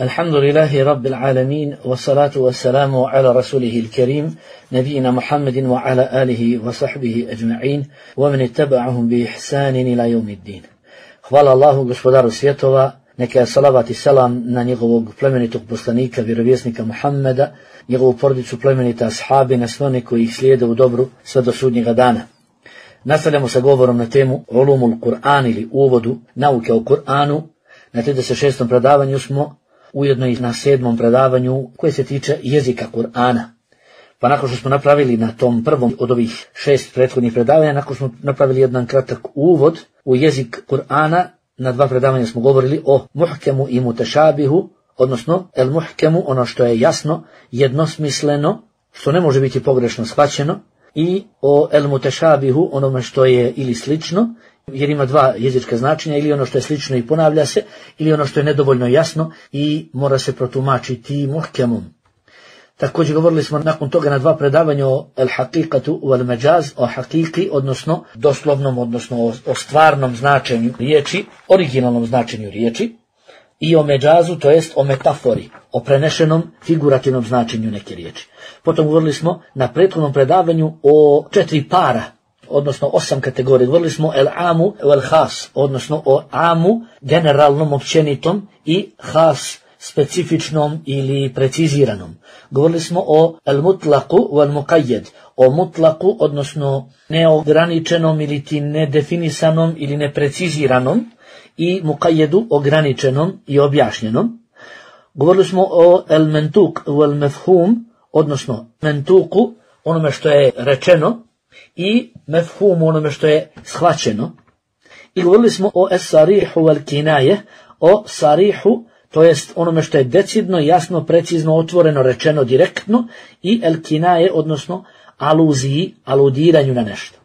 الحمد لله رب العالمين والصلاة والسلام على رسوله الكريم نبينا محمد وعلى آله وصحبه أجمعين ومن اتبعهم بإحسان إلى يوم الدين. Hvala Allahu, gospodaru svjetova, neka je salavat i salam na njegovog plemenitog poslanika, vjerovjesnika Muhammeda, njegovu porodicu, plemenita ashabi, na sve one koji ih slijede u dobru sve do sudnjega dana. Nastavljamo sa govorom na temu Ulumul Kur'an ili uvodu nauke o Kur'anu. Na 36. predavanju smo, ujedno i na 7. predavanju koje se tiče jezika Kur'ana. Pa nakon što smo napravili na tom prvom od ovih 6 prethodnih predavanja, nakon smo napravili jedan kratak uvod u jezik Kur'ana, na 2 predavanja smo govorili o muhkemu i mutešabihu, odnosno el muhkemu, ono što je jasno, jednosmisleno, što ne može biti pogrešno shvaćeno, i o el mutešabihu, onome što je ili slično, jer ima 2 jezička značenja, ili ono što je slično i ponavlja se, ili ono što je nedovoljno jasno i mora se protumačiti muhkemom. Također govorili smo nakon toga na 2 predavanja o el haqiqatu wal majaz, o hakiki, odnosno doslovnom, odnosno o stvarnom značenju riječi, originalnom značenju riječi, i o međazu, to jest o metafori, o prenešenom figurativnom značenju neke riječi. Potom govorili smo na prethodnom predavanju o 4 para, odnosno 8 kategorija. Govorili smo el amu wal khas, odnosno o amu generalnom, općenitom, i khas specifičnom ili preciziranom. Govorili smo o el mutlaqu wal muqayyad, o mutlaqu, odnosno neograničenom ili ti nedefinisanom ili nepreciziranom, i muqayyadu, ograničenom i objašnjenom. Govorili smo o el mentuq wal mefhum, odnosno mentuku, onome što je rečeno, i mefhumu, onome što je shvaćeno. I govorili smo o es-sarihu wal kinaje, o sarihu, to jest onome što je decidno, jasno, precizno, otvoreno, rečeno, direktno, i el kinaje, odnosno aluziji, aludiranju na nešto.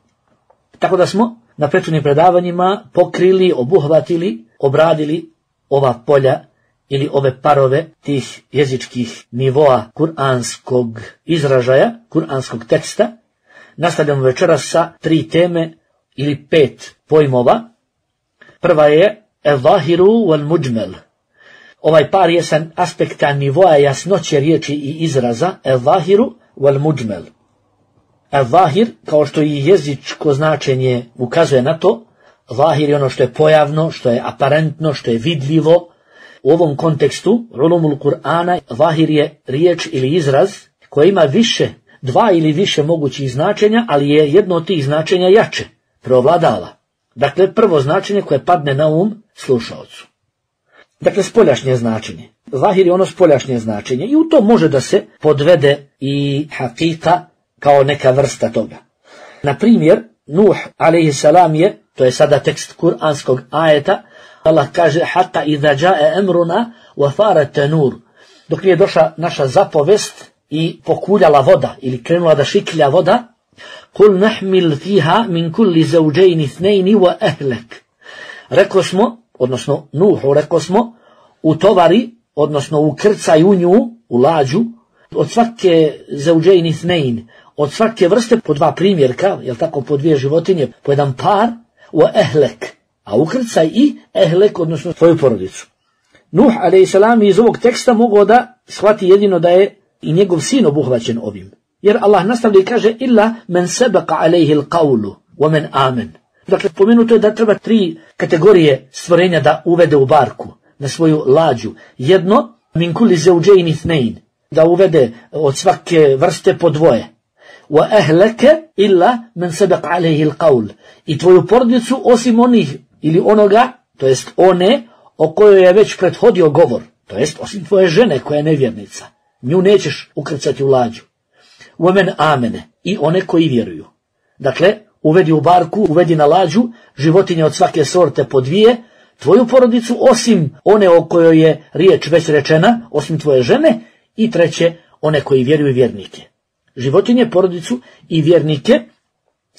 Tako da smo na prethodnim predavanjima pokrili, obuhvatili, obradili ova polja ili ove parove tih jezičkih nivoa kuranskog izražaja, kuranskog teksta. Nastavljamo večeras sa 3 teme ili 5 pojmova. Prva je el-zahiru wal-mujmal. Ovaj par je sa aspekta nivoa jasnoće riječi i izraza el-zahiru wal-mujmal. El-zahir, kao što i jezičko značenje ukazuje na to, zahir je ono što je pojavno, što je aparentno, što je vidljivo. U ovom kontekstu, ulumul Kur'ana, zahir je riječ ili izraz koja ima više, 2 ili više mogućih značenja, ali je jedno od tih značenja jače, preovladava. Dakle, prvo značenje koje padne na slušaocu. Dakle, spoljašnje značenje. Zahir je ono spoljašnje značenje i u to može da se podvede i hakika kao neka vrsta toga. Na primjer, Nuh a.s. je, to je sada tekst kuranskog ajeta, Allah kaže hatta idha jaa amruna wa farat tanur. Dok je došla naša zapovest i pokuljala voda ili krenula da šiklja voda, kul nahmil fiha min kulli zawjayn ithnayn wa ahlak. Rekli smo, odnosno Nuhu rekli smo, utovari, odnosno ukrcaj u nju, u lađu, od svake zawjayn ithnayn, od svake vrste po 2 primjerka, jel tako, po 2 životinje, po jedan par, wa ahlak, a ukrcaj i ahlak, odnosno svoju porodicu. Nuh a.s. iz ovog teksta mogao da shvati jedino da je i njegov sin obuhvaćen ovim. Jer Allah nastavlja i kaže illa men sebaqa alejhi l'qawlu wa men amen. Dakle, pomenuto je da treba 3 kategorije stvorenja da uvede u barku, na svoju lađu. Jedno, min kulli zawjayn ithnayn, da uvede od svake vrste po 2. Wa ahlaka illa men sebaqa alejhi l'qawl. I tvoju porodicu osim onih ili onoga, to jest one o kojoj je već prethodio govor, to jest osim tvoje žene koja je nevjernica. Nju nećeš ukrcati u lađu. Umen amene, i one koji vjeruju. Dakle, uvedi u barku, uvedi na lađu životinje od svake sorte po 2, tvoju porodicu osim one o kojoj je riječ već rečena, osim tvoje žene, i 3, one koji vjeruju, vjernike. Životinje, porodicu i vjernike,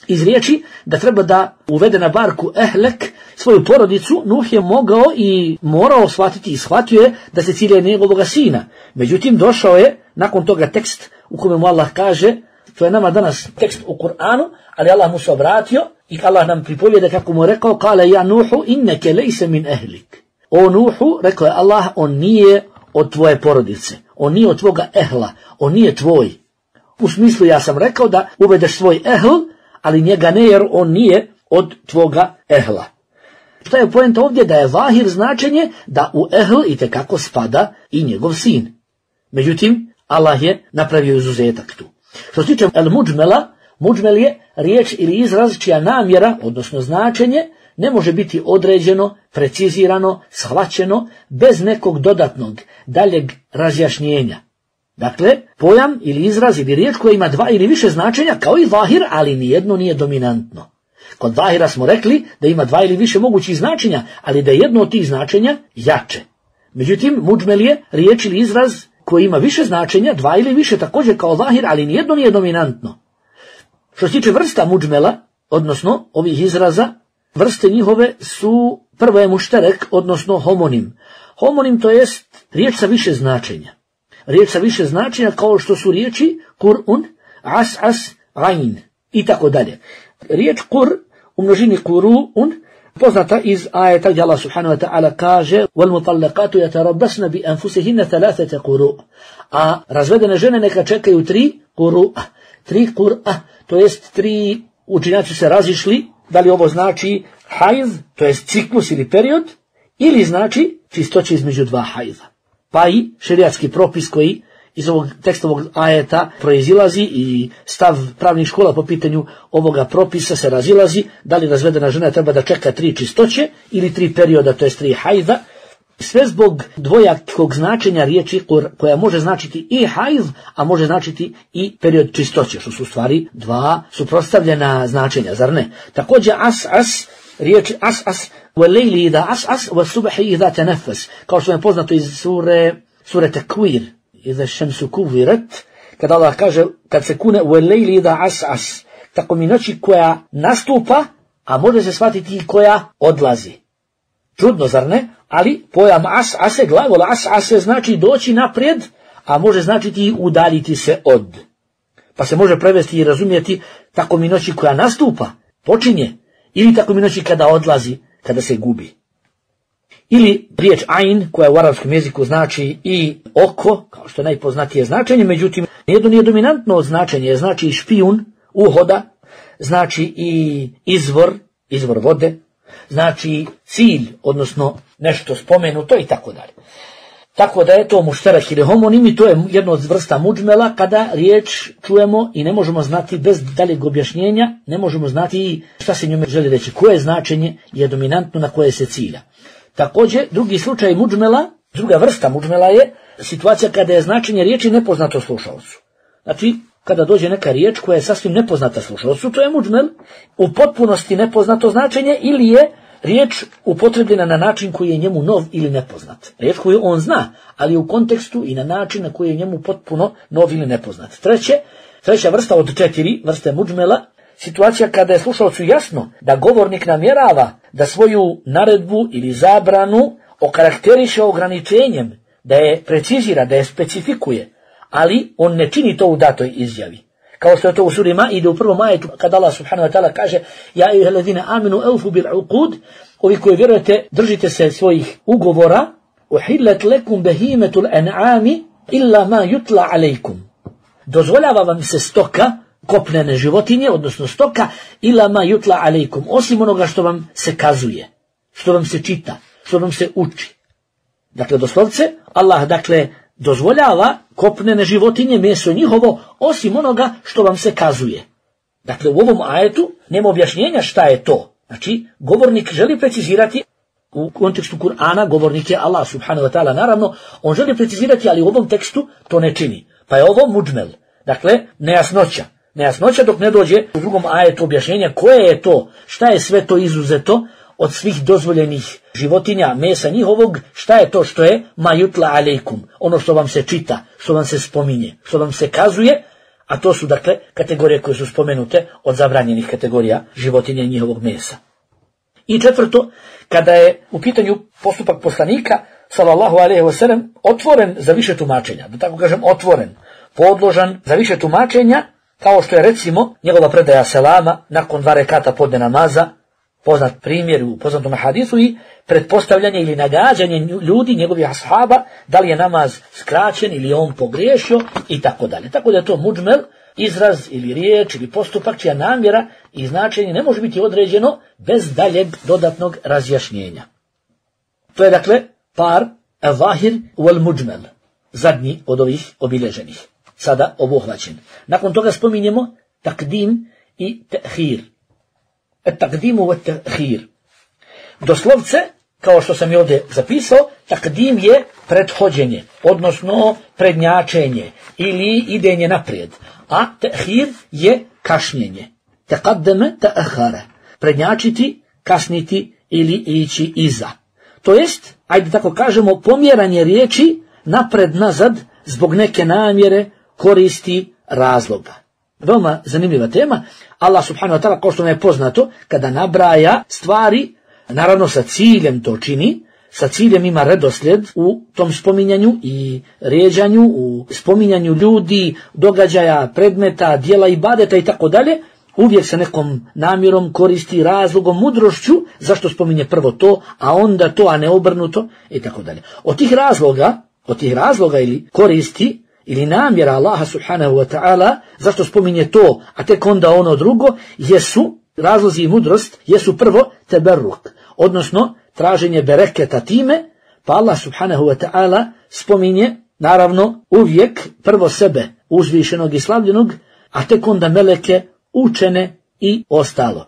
iz riječi da treba da uvede na barku ehlek svoju porodicu. Nuh je mogao i morao shvatiti i shvatio je da se cilja njegovoga sina. Međutim, došao je nakon toga tekst u kome mu Allah kaže, to je nama danas tekst u Kur'anu, ali Allah mu se obratio i Allah nam pripovjeda kako mu rekao, kale ja Nuhu inneke lejse min ehlik. O Nuhu, rekao je Allah, on nije od tvoje porodice, on nije od tvoga ehla, on nije tvoj. U smislu ja sam rekao da uvedeš svoj ehl, ali njega ne, jer on nije od tvoga ehla. Šta je poenta ovdje? Da je zahir značenje da u ehl itekako spada i njegov sin. Međutim, Allah je napravio izuzetak tu. Što se tiče el-muđmela, muđmel je riječ ili izraz čija namjera, odnosno značenje, ne može biti određeno, precizirano, shvaćeno, bez nekog dodatnog, daljeg razjašnjenja. Dakle, pojam ili izraz ili riječ koja ima dva ili više značenja, kao i zahir, ali nijedno nije dominantno. Kod zahira smo rekli da ima dva ili više mogućih značenja, ali da je jedno od tih značenja jače. Međutim, muđmel je riječ ili izraz koji ima više značenja, dva ili više također kao zahir, ali nijedno nije dominantno. Što se tiče vrsta muđmela, odnosno ovih izraza, vrste njihove su, prvo je mušterek, odnosno homonim. Homonim to jest riječ sa više značenja. Riječ sa više značenja kao što su riječi kur'un, as, ain i tako dalje. Riječ kur u množini kuru'un poznata iz ajeta gdje Allah subhanahu wa ta'ala kaže وَالْمُطَلَّقَاتُ يَتَرَبَّسْنَ بِأَنفُسِهِنَّ ثَلَاثَةَ قُرُوء. A razvedene žene neka čekaju 3 kuru'a. 3 kur'a, to jest 3, učenjaci se razišli, da li ovo znači hajz, to jest ciklus ili period, ili znači čistoće između 2 hajza. Pa i šerijatski propis koji iz ovog tekstovog ajeta proizilazi i stav pravnih škola po pitanju ovoga propisa se razilazi, da li razvedena žena treba da čeka 3 čistoće ili 3 perioda, to jest 3 hajza. Sve zbog dvojakog značenja riječi koja može značiti i hajz, a može značiti i period čistoće, što su u stvari dva suprotstavljena značenja, zar ne? Također as, riječ as, وَلَيْلِ إِذَا أَسْأَسْ وَالصُّبْحِ إِذَا تَنَفَّسْ, kao što je poznato iz sure Tekvir, إِذَا الشَّمْسُ كُوِّرَتْ, kada Allah kaže, kad se kune وَلَيْلِ إِذَا أَسْأَسْ, tako mi noći koja nastupa, a može se shvatiti i koja odlazi. Čudno, zar ne? Ali pojam ase, glagol ase znači doći naprijed, a može značiti i udaljiti se od. Pa se može prevesti i razumjeti tako mi noći koja nastupa, počinje, ili tako mi noći kada odlazi, kada se gubi. Ili riječ ain, koja u arapskom jeziku znači i oko, kao što je najpoznatije značenje, međutim, nijedno nije dominantno značenje, znači i špijun, uhoda, znači i izvor vode, znači cilj, odnosno nešto spomenuto i tako dalje. Tako da je to mušterak ili homonim i to je jedna od vrsta muđmela kada riječ čujemo i ne možemo znati bez daljeg objašnjenja, ne možemo znati šta se njome želi reći, koje značenje je dominantno na koje se cilja. Također, drugi slučaj muđmela, druga vrsta muđmela je situacija kada je značenje riječi nepoznato slušalcu. Znači, kada dođe neka riječ koja je sasvim nepoznata slušalcu, to je muđmel, u potpunosti nepoznato značenje ili je riječ upotrebljena na način koji je njemu nov ili nepoznat. Riječ koju on zna, ali u kontekstu i na način na koji je njemu potpuno nov ili nepoznat. Treća vrsta od 4 vrste muđmela, situacija kada je slušalcu jasno da govornik namjerava da svoju naredbu ili zabranu okarakteriše ograničenjem, da je precizira, da je specifikuje, ali on ne čini to u datoj izjavi. Kao što je to u suri Maide u prvom ajetu, kada Allah subhanahu wa ta'ala kaže ja ejuhellezine aminu eufu bil uqud, ovi koji vjerujete držite se svojih ugovora, uhillet lekum behimetul en'ami illa ma yutla alejkum. Dozvoljava vam se stoka, kopnene životinje, odnosno stoka, illa ma yutla alejkum, osim onoga što vam se kazuje, što vam se čita, što vam se uči. Dakle, doslovce, Allah, dozvoljava kopnene životinje, meso njihovo, osim onoga što vam se kazuje. Dakle, u ovom ajetu nema objašnjenja šta je to. Znači, govornik želi precizirati, u kontekstu Kur'ana, govornik je Allah subhanahu wa ta'ala, naravno, on želi precizirati, ali u ovom tekstu to ne čini. Pa je ovo muđmel. Dakle, nejasnoća dok ne dođe u drugom ajetu objašnjenja koje je to, šta je sve to izuzeto od svih dozvoljenih životinja, mesa njihovog, šta je to što je ma yutla alejkum, ono što vam se čita, što vam se spominje, što vam se kazuje, a to su kategorije koje su spomenute od zabranjenih kategorija životinja i njihovog mesa. I četvrto, kada je u pitanju postupak poslanika, sallallahu alejhi ve sellem, otvoren za više tumačenja, da tako kažem otvoren, podložan za više tumačenja, kao što je recimo njegova predaja selama nakon 2 rekata podne namaza, Poznat primjer u poznatom hadisu i pretpostavljanje ili nagađanje ljudi, njegovih ashaba, da li je namaz skraćen ili on pogriješio i tako dalje. Tako da je to muđmel, izraz ili riječ ili postupak čija namjera i značenje ne može biti određeno bez daljeg dodatnog razjašnjenja. To je dakle par al-zahir wal muđmel, zadnji od ovih obilježenih, sada obuhvaćen. Nakon toga spominjemo takdim i tehir. Takdimu wa tehir. Doslovce, kao što sam i ovdje zapisao, takdim je prethođenje, odnosno prednjačenje ili idenje naprijed, a tehir je kašnjenje. Taqaddama ta'akhara. Prednjačiti, kasniti ili ići iza. To jest, ajde tako kažemo, pomjeranje riječi napred nazad zbog neke namjere, koristi, razloga. Veoma zanimljiva tema. Allah subhanahu wa ta'ala, kao što nam je poznato, kada nabraja stvari, naravno sa ciljem to čini, sa ciljem ima redoslijed u tom spominjanju i rijeđanju, u spominjanju ljudi, događaja, predmeta, dijela ibadeta i tako dalje, uvijek sa nekom namjerom, koristi, razlogom, mudrošću, zašto spominje prvo to, a onda to, a ne obrnuto i tako dalje. Od tih razloga ili koristi ili namjera Allaha subhanahu wa ta'ala, zašto spominje to, a tek onda ono drugo, jesu, razlozi i mudrost, jesu prvo teberruk, odnosno traženje bereketa time, pa Allah subhanahu wa ta'ala spominje, naravno, uvijek prvo sebe, uzvišenog i slavljenog, a tek onda meleke, učene i ostalo.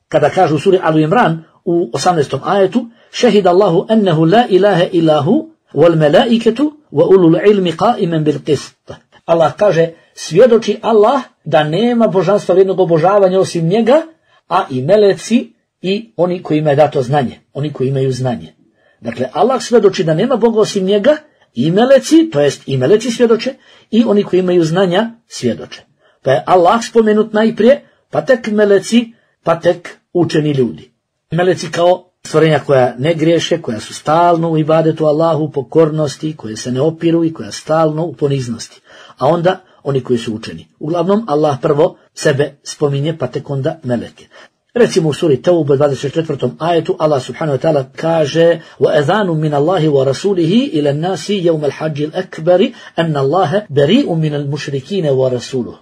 Kada kažu u suri Alu Imran u 18. ajetu, šehid Allahu ennehu la ilaha ilahu, wal melaiketu, wa ulul ilmi qaiman bil qist. Allah kaže, svjedoči Allah da nema božanstva vrijednog obožavanja osim njega, a i meleci i oni koji imaju dato znanje, oni koji imaju znanje. Dakle, Allah svjedoči da nema Boga osim njega, i meleci, to jest i meleci svjedoče, i oni koji imaju znanja svjedoče. Pa je Allah spomenut najprije, pa tek meleci, pa tek učeni ljudi. Meleci kao stvorenja koja ne griješe, koja su stalno u ibadetu Allahu, pokornosti, koje se ne opiru i koja stalno u poniznosti. A onda oni koji su učeni. Uglavnom, Allah prvo sebe spominje, pa tek onda meleke. Recimo u suri Tauba 24. ajetu Allah subhanahu wa ta'ala kaže وَأَذَانٌ مِنَ اللَّهِ وَرَسُولِهِ إِلَى النَّاسِ يَوْمَ الْحَجِّ الْأَكْبَرِ أَنَّ اللَّهَ بَرِيءٌ مِنَ الْمُشْرِكِينَ وَرَسُولُهُ.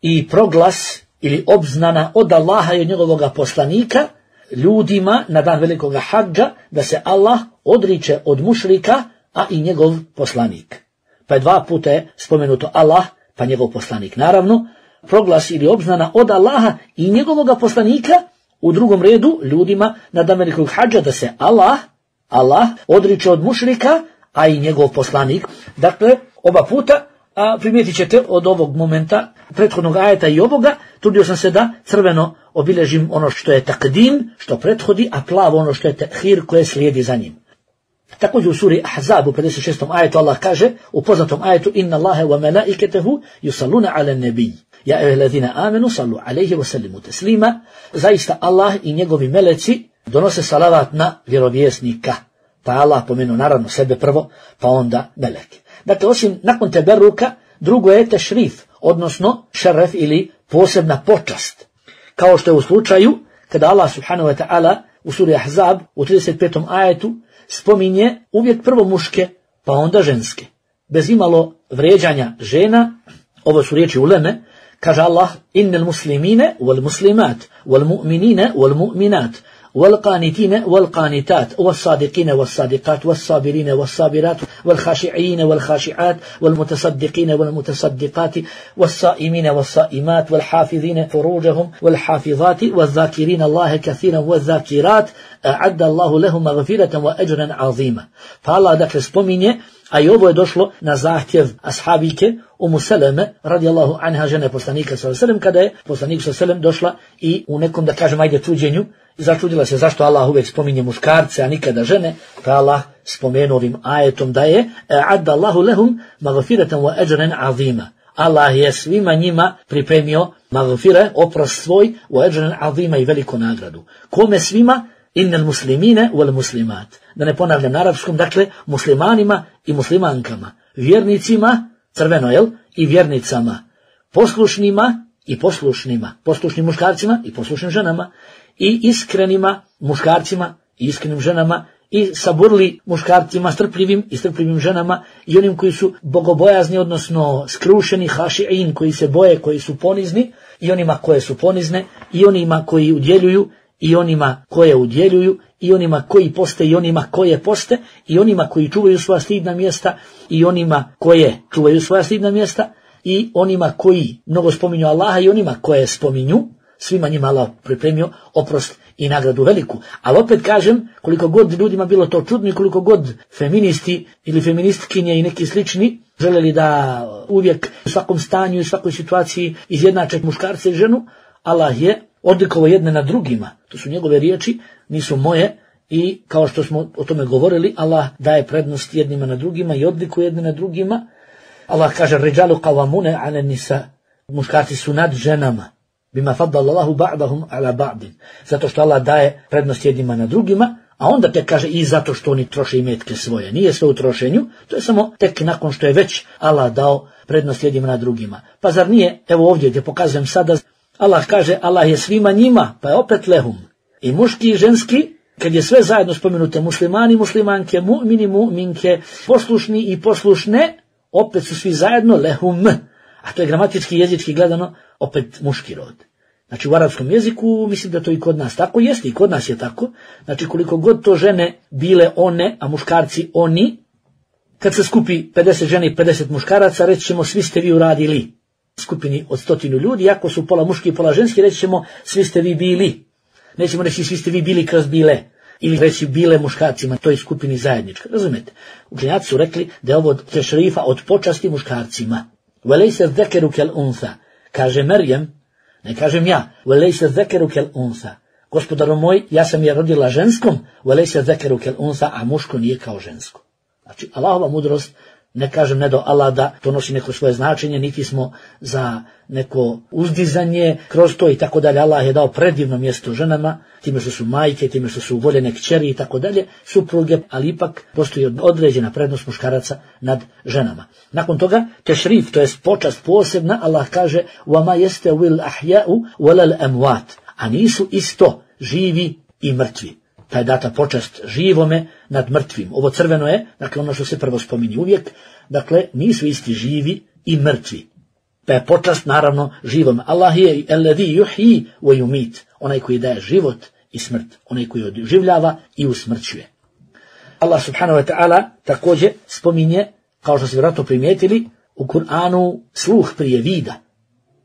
I proglas ili obznana od Allaha i od njegovog poslanika ljudima na dan velikog hadža da se Allah odriče od mušrika, a i njegov poslanik. Pa je dva puta je spomenuto Allah, pa njegov poslanik. Naravno, proglas ili obznana od Allaha i njegovog poslanika, u drugom redu ljudima na dan velikog hadža da se Allah odriče od mušrika, a i njegov poslanik. Dakle, oba puta, a primijetit ćete od ovog momenta, prethodnog ajeta i ovoga, trudio sam se da crveno obilježim ono što je takdim, što prethodi, a plavo ono što je tehir koje slijedi za njim. Također u suri Ahzab u 56. ajetu Allah kaže, u poznatom ajetu, inna Allahe wa melaiketehu yusalluna ala nebij. Ja ehlazina amenu sallu alaihi wa sallimu teslima. Zaista Allah i njegovi meleci donose salavat na vjerovjesnika. Pa Allah pomenuo naravno sebe prvo, pa onda meleke. Dakle, osim nakon teberuka, drugo je tešrif, odnosno šeref ili posebna počast. Kao što je u slučaju kada Allah subhanahu wa ta'ala u suri Ahzab u 35. ajetu spominje uvijek prvo muške, pa onda ženske. Bez imalo vrijeđanja žena, ovo su riječi uleme, kaže Allah, innal muslimine wal muslimat, wal mu'minine wal mu'minat, والقانتين والقانتات والصادقين والصادقات والصابرين والصابرات والخاشعين والخاشعات والمتصدقين والمتصدقات والصائمين والصائمات والحافظين فروجهم والحافظات والذاكرين الله كثيرا والذاكرات أعد الله لهم مغفرة وأجرا عظيما. فالله dakle spominje, a i ovo je došlo na zahtjev ashabike Umu Seleme radijallahu anha, žene poslanika sallallahu alejhi ve sellem, kada je poslanik sallallahu alejhi ve sellem došla i u nekom, da kažem, ajde čuđenju, začudila se zašto Allah uvijek spominje muškarce, a nikada žene, pa Allah spomenuo ovim ajetom da je a'adda Allahu lahum maghfiratan wa ajran azima. Allah je svima njima pripremio maghfire, oprost svoj, wa ajran azima, i veliku nagradu. Kome svima? Innal muslimine wal muslimat. Da ne ponavljam na arapskom, dakle, muslimanima i muslimankama, vjernicima, crveno, jel, i vjernicama, poslušnima i poslušnima, poslušnim muškarcima i poslušnim ženama, i iskrenima muškarcima i iskrenim ženama, i saburli muškarcima, strpljivim i strpljivim ženama, i onim koji su bogobojazni, odnosno skrušeni, haši'in, koji se boje, koji su ponizni, i onima koje su ponizne, i onima koji udjeljuju, i onima koje udjeljuju, i onima koji poste, i onima koje poste, i onima koji čuvaju svoja stidna mjesta, i onima koje čuvaju svoja stidna mjesta, i onima koji mnogo spominju Allaha, i onima koje spominju. Svima njima Allah pripremio oprost i nagradu veliku. Ali opet kažem, koliko god ljudima bilo to čudno i koliko god feministi ili feministkinje i neki slični želeli da uvijek u svakom stanju i svakoj situaciji izjednače muškarce i ženu, Allah je odlikovao jedne na drugima. To su njegove riječi, nisu moje, i kao što smo o tome govorili, Allah daje prednost jednima na drugima i odlikuje jedne na drugima. Allah kaže: Riđalu qawamune ala nisa, muškarci su nad ženama. Bima faddala Allahu ba'dahum ala ba'din. Zato što Allah daje prednost jednima na drugima, a onda te kaže i zato što oni troše imetke svoje. Nije sve u trošenju, to je samo tek nakon što je već Allah dao prednost jednima na drugima. Pa zar nije, evo ovdje gdje pokazujem sada, Allah kaže Allah je svima njima, pa je opet lehum. I muški i ženski, kad je sve zajedno spomenute, muslimani, muslimanke, mu'mini, mu'minke, poslušni i poslušne, opet su svi zajedno lehum. A to je gramatički, jezički gledano opet muški rod. Znači u arapskom jeziku, mislim da to i kod nas tako jeste, i kod nas je tako. Znači koliko god to žene bile one, a muškarci oni, kad se skupi 50 žene i 50 muškaraca, reći ćemo svi ste vi uradili. Skupini od 100 ljudi, ako su pola muški i pola ženski, reći ćemo svi ste vi bili. Nećemo reći svi ste vi bili kroz bile, ili reći bile muškarcima, to je skupini zajednička. Razumete? Učenjaci su rekli da je ovo tešrifa od počasti muškarcima. وَلَيْسَ الذَّكَرُ كَالْأُنْثَى, kaže Merjem, ne kažem ja, وَلَيْسَ الذَّكَرُ كَالْأُنْثَى, gospodaru moj, ja sam je rodila ženskom, وَلَيْسَ الذَّكَرُ كَالْأُنْثَى, a muško nije kao žensko. Znači, Allahova mudrost, ne kažem ne do Allah da to nosi neko svoje značenje, niti smo za neko uzdizanje kroz to i tako dalje. Allah je dao predivno mjesto ženama, time što su majke, time što su voljene kćeri i tako dalje, supruge, ali ipak postoji određena prednost muškaraca nad ženama. Nakon toga, tešrif, to je počast posebna, Allah kaže: وَمَا يَسْتَوِي الْأَحْيَاءُ وَلَا الْأَمْوَاتُ, a nisu isto živi i mrtvi. Ta je data počast živome nad mrtvim. Ovo crveno je, dakle ono što se prvo spominje uvijek, dakle nisu isti živi i mrtvi. Pa je počast naravno živome. Allah je alladhi yuhyi wa yumit, onaj koji daje život i smrt, onaj koji oživljava i usmrćuje. Allah subhanahu wa ta'ala također spominje, kao što ste vjerojatno primijetili, u Kur'anu sluh prije vida.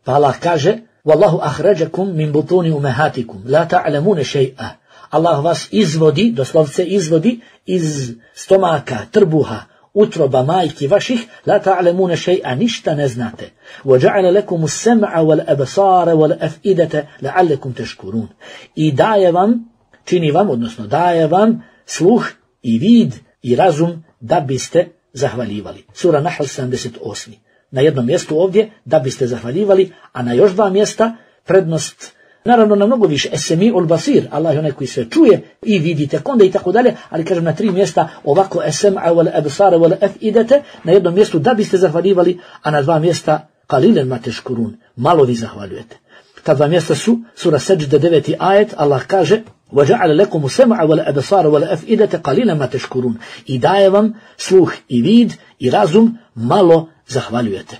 Pa Allah kaže: Wallahu ahrajakum min butuni ummahatikum la ta'lamuna shay'a. Allah vas izvodi, doslovce izvodi iz stomaka, trbuha, utroba majki vaših, la ta'lamuna shay'a, ništa ne znate. Wa ja'ala lakum as-sam'a wal absara wal af'idata la'allakum tashkurun. I daje vam, čini vam, odnosno daje vam sluh i vid i razum da biste zahvaljivali. Sura Nahl 78. Na jednom mjestu ovdje da biste zahvaljivali, a na još dva mjesta prednost, naravno na mnogo više, es-semi'ul basir, Allah je onaj koji sve čuje i vidi tek onda i tako dalje, ali kažem na 3 mjesta ovako es-sam'a wal absara wal af'idata, na jednom mjestu da biste zahvaljivali, a na 2 mjesta qalilan ma tashkurun, malo vi zahvaljujete. Ta 2 mjesta su sura Seđde 9. ajet, Allah kaže: وَجَعَلَ لَكُمُ السَّمْعَ وَالْأَبْصَارَ وَالْأَفْئِدَةَ قَلِيلًا مَا تَشْكُرُونَ. I daje vam sluh i vid i razum, malo zahvaljujete.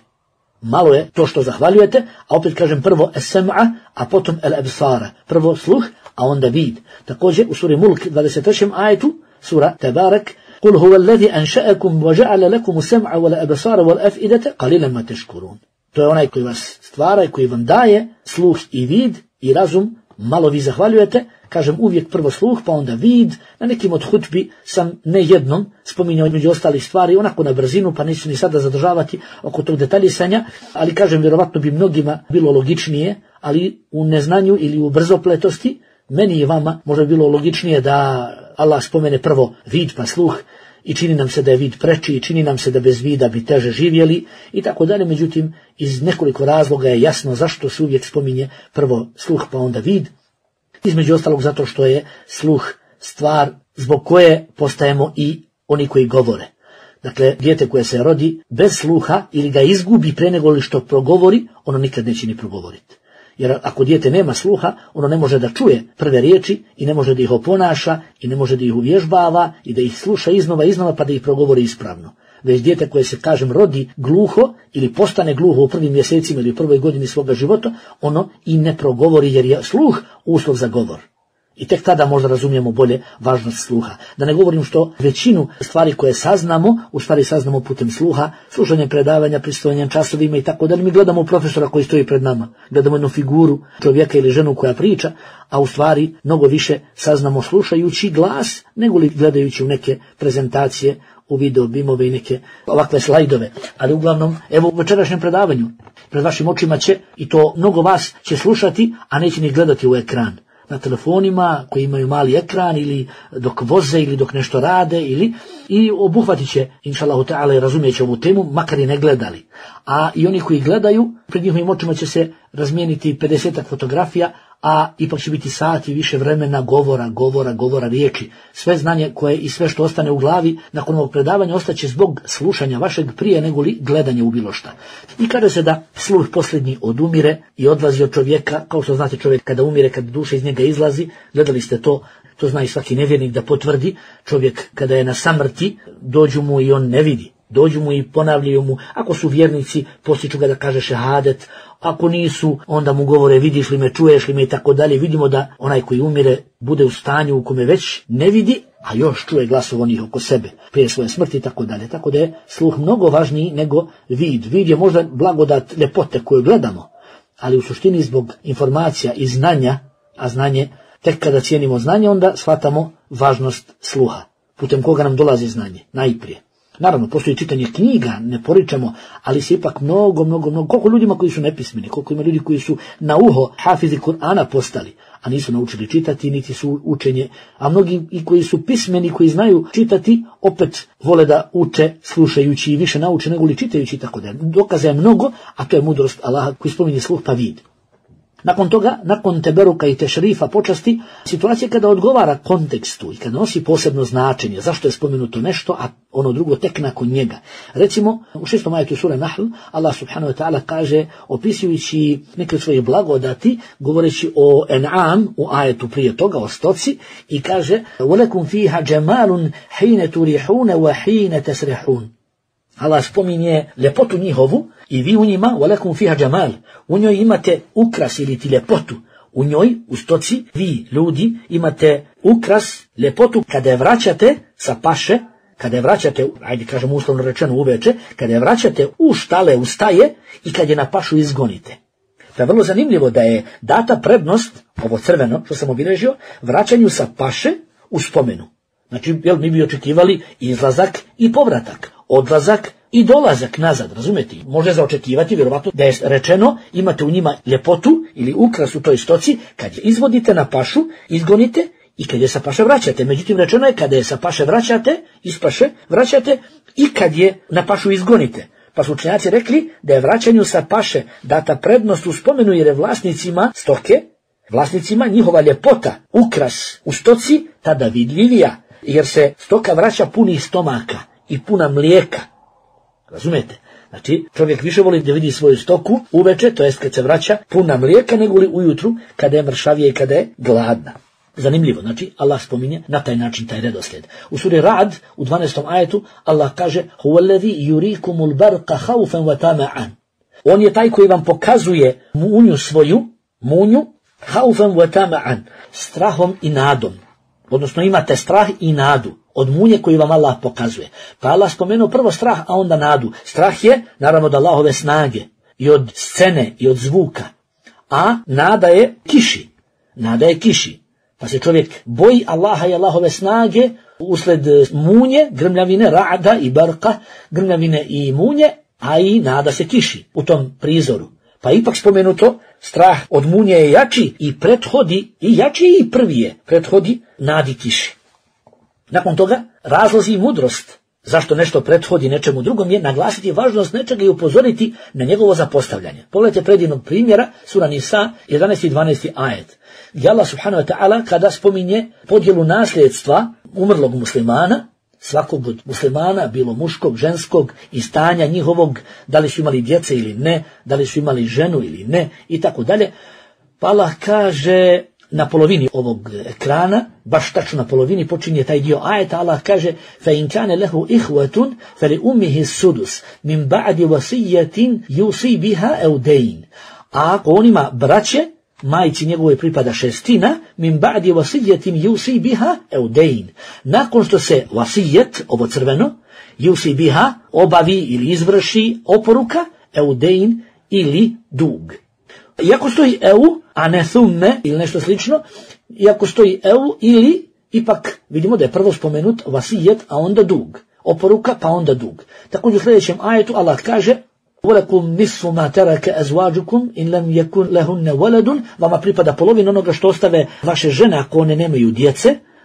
Malo je to što zahvaljujete, a opet kažem prvo es-sam'a, a potom el-absara. Prvo sluh, a onda vid. Također u suri Mulk 23. ajetu, sura Tebarek: قُلْ هُوَ الَّذِي أَنْشَأَكُمْ وَجَعَلَ لَكُمُ السَّمْعَ وَالْأَبْصَارَ وَالْأَفْئِدَةَ قَلِيلًا مَا تَشْكُرُونَ. To je onaj koji vas stvara i koji vam daje sluh i vid i razum, malo vi zahvaljujete. Kažem uvijek prvo sluh, pa onda vid. Na nekim od hutbi sam ne jednom spominjao među ostalih stvari, onako na brzinu, pa neću ni sada zadržavati oko tog detaljisanja, ali kažem, vjerovatno bi mnogima bilo logičnije, ali u neznanju ili u brzopletosti, meni i vama možda bi bilo logičnije da Allah spomene prvo vid pa sluh, i čini nam se da je vid preči, i čini nam se da bez vida bi teže živjeli i tako dalje. Međutim, iz nekoliko razloga je jasno zašto se uvijek spominje prvo sluh pa onda vid. Između ostalog zato što je sluh stvar zbog koje postajemo i oni koji govore. Dakle, dijete koje se rodi bez sluha ili ga izgubi pre nego li što progovori, ono nikad neće ni progovoriti. Jer ako dijete nema sluha, ono ne može da čuje prve riječi i ne može da ih oponaša i ne može da ih uvježbava i da ih sluša iznova pa da ih progovori ispravno. Već dijete koje se, kažem, rodi gluho ili postane gluho u prvim mjesecima ili u prvoj godini svoga života, ono i ne progovori jer je sluh uslov za govor. I tek tada možda razumijemo bolje važnost sluha. Da ne govorim što većinu stvari koje saznamo, u stvari saznamo putem sluha, slušanje predavanja, pristupanje časovima i tako da mi gledamo profesora koji stoji pred nama, gledamo jednu figuru čovjeka ili ženu koja priča, a u stvari mnogo više saznamo slušajući glas nego li gledajući u neke prezentacije, u video bimove i neke ovakve slajdove. Ali uglavnom, evo u večerašnjem predavanju, pred vašim očima će, i to mnogo vas će slušati, a neće ni gledati u ekran. Na telefonima koji imaju mali ekran ili dok voze ili dok nešto rade i obuhvatit će, inšallahu ta'ala, i razumijeće ovu temu, makar i ne gledali. A i oni koji gledaju, pred njihovim očima će se razmijeniti 50 fotografija, a ipak će biti sati više vremena govora, riječi. Sve znanje koje i sve što ostane u glavi nakon ovog predavanja ostaće zbog slušanja vašeg prije nego li gledanje u bilo šta. I kaže se da sluh posljednji odumire i odlazi od čovjeka, kao što znate čovjek kada umire, kada duša iz njega izlazi, gledali ste to zna i svaki nevjernik da potvrdi, čovjek kada je na samrti, dođu mu i on ne vidi. Dođu mu i ponavljaju mu, ako su vjernici, postiču ga da kaže šehadet, ako nisu, onda mu govore vidiš li me, čuješ li me i tako dalje. Vidimo da onaj koji umire bude u stanju u kome već ne vidi, a još čuje glasov onih oko sebe, prije svoje smrti i tako dalje. Tako da je sluh mnogo važniji nego vid. Vid je možda blagodat ljepote koju gledamo, ali u suštini zbog informacija i znanja, a znanje, tek kada cijenimo znanje, onda shvatamo važnost sluha, putem koga nam dolazi znanje, najprije. Naravno, postoji čitanje knjiga, ne poričemo, ali se ipak mnogo, koliko ljudima koji su nepismeni, koliko ima ljudi koji su na uho hafizi Kur'ana postali, a nisu naučili čitati, niti su učenje, a mnogi i koji su pismeni, koji znaju čitati, opet vole da uče slušajući i više nauče nego li čitajući i tako da. Dokaza je mnogo, a to je mudrost Allaha koji spominje sluh pa vid. Nakon toga, nakon teberuka i tešrifa počasti, situacija kada odgovara kontekstu i kada nosi posebno značenje, zašto je spomenuto nešto, a ono drugo tek nakon njega. Recimo, u 6. ajetu sure Nahl, Allah subhanahu wa ta'ala kaže, opisujući neke svoje blagodati, govoreći o En'am, u ajetu prije toga, o stoci, i kaže, وَلَكُمْ فِيهَا جَمَالٌ حِينَ تُرِحُونَ وَحِينَ تَسْرِحُونَ. Allah spominje ljepotu njihovu i vi u njima, وَلَكُمْ فِيهَا جَمَالٌ, u njoj imate ukras ili ti ljepotu. U njoj, u stoci, vi, ljudi, imate ukras, ljepotu kada je vraćate sa paše, kada je vraćate, ajde kažemo uslovno rečeno uveče, kada je vraćate u štale, u staje i kad je na pašu izgonite. To je vrlo zanimljivo da je data prednost, ovo crveno što sam obilježio, vraćanju sa paše u spomenu. Znači, mi bi očekivali izlazak i povratak, odlazak i dolazak nazad, razumete? Može zaočekivati, vjerovatno, da je rečeno imate u njima ljepotu ili ukras u toj stoci, kad je izvodite na pašu, izgonite i kad je sa paše vraćate. Međutim, rečeno je kada je sa paše vraćate, iz paše vraćate i kad je na pašu izgonite. Pa su učenjaci rekli da je vraćanju sa paše data prednost u spomenu jer je vlasnicima stoke, vlasnicima njihova ljepota, ukras u stoci tada vidljivija, jer se stoka vraća punih stomaka i puna mlijeka. Razumete? Znači, čovjek više voli da vidi svoju stoku uveče, to jest kad se vraća, puna mlijeka nego li ujutru, kada je mršavija i kada je gladna. Zanimljivo, znači, Allah spominje na taj način taj redoslijed. U suri Ra'd, u 12. ajetu, Allah kaže هُوَ الَّذِي يُرِيكُمُ الْبَرْقَ خَوْفًا وَتَمَعًا. On je taj koji vam pokazuje munju svoju, خَوْفًا وَتَمَعًا, strahom i nadom. Odnosno imate strah i nadu od munje koju vam Allah pokazuje. Pa Allah spomenuo prvo strah, a onda nadu. Strah je, naravno, od Allahove snage i od scene i od zvuka. A nada je kiši. Pa se čovjek boji Allaha i Allahove snage usled munje, grmljavine, ra'da i barka, grmljavine i munje, a i nada se kiši u tom prizoru. Pa ipak spomenuto, strah od munje je jači i prethodi, i jači i prvi je, prethodi nadi kiši. Nakon toga, razlozi i mudrost zašto nešto prethodi nečemu drugom je naglasiti važnost nečega i upozoriti na njegovo zapostavljanje. Pogledajte predivnog primjera, sura Nisa, 11. i 12. ajet. Gdje Allah subhanahu wa ta'ala kada spominje podjelu nasljedstva umrlog muslimana svakog od muslimana, bilo muškog, ženskog, i stanja njihovog, da li su imali djece ili ne, da li su imali ženu ili ne, i tako dalje. Pa Allah kaže na polovini ovog ekrana, baš tačno na polovini počinje taj dio ajeta, Allah kaže فَإِنْ كَانَ لَهُ إِخْوَةٌ فَلِأُمِّهِ السُّدُسُ مِنْ بَعْدِ وَصِيَّةٍ يُوصِي بِهَا أَوْ دَيْنٍ. A ako on ima braće, majci njegove pripada šestina, min ba'di wasijetin yusi biha eudein. Nakon što se vasijet, ovo crveno, yusi biha, obavi ili izvrši oporuka, eudein ili dug. Iako stoji eu, a ne thumme ili nešto slično, iako stoji eu ili, ipak vidimo da je prvo spomenut vasijet, a onda dug. Oporuka, pa onda dug. Također u sljedećem ajetu Allah kaže وَلَكُمْ نِصْفُ مَا تَرَكَ أَزْوَاجُكُمْ إِنْ لَمْ يَكُنْ لَهُنَّ وَلَدٌ. Vama pripada polovina onoga što ostave vaše žene ako one nemaju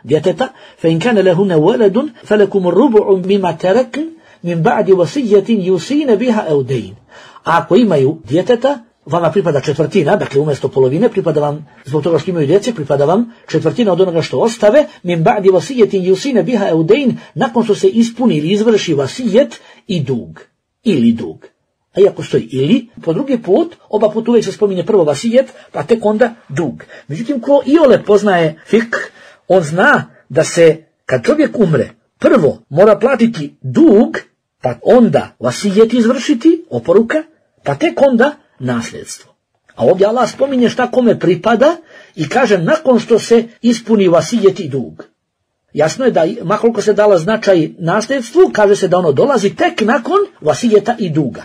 djeteta. فَإِنْ كَانَ لَهُنَّ وَلَدٌ فَلَكُمُ الرُّبُعُ مِمَا تَرَكْنَ مِنْ بَعْدِ وَصِيَّةٍ يُوصِينَ بِهَا أَوْ دَيْنٍ. A ako imaju djeteta, vama pripada četvrtina, dakle umjesto polovine pripada vam, zbog toga što imaju djece, pripada vam četvrtina od onoga što ostave, min ba'di vasijetin yusina biha eudein, nakon što se ispuni ili izvrši vasijet i dug, ili dug. A iako stoji ili, po drugi put, oba put uvijek se spominje prvo vasijet, pa tek onda dug. Međutim, ko iole poznaje fik, on zna da se, kad čovjek umre, prvo mora platiti dug, pa onda vasijet izvršiti, oporuka, pa tek onda nasljedstvo. A ovdje Allah spominje šta kome pripada i kaže nakon što se ispuni vasijet i dug. Jasno je da, makoliko se dala značaj nasljedstvu, kaže se da ono dolazi tek nakon vasijeta i duga.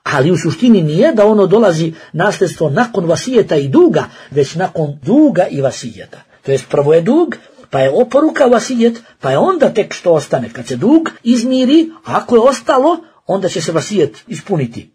Ali u suštini nije da ono dolazi nasljedstvo nakon vasijeta i duga, već nakon duga i vasijeta. To jest prvo je dug, pa je oporuka vasijet, pa je onda tek što ostane. Kad se dug izmiri, ako je ostalo, onda će se vasijet ispuniti.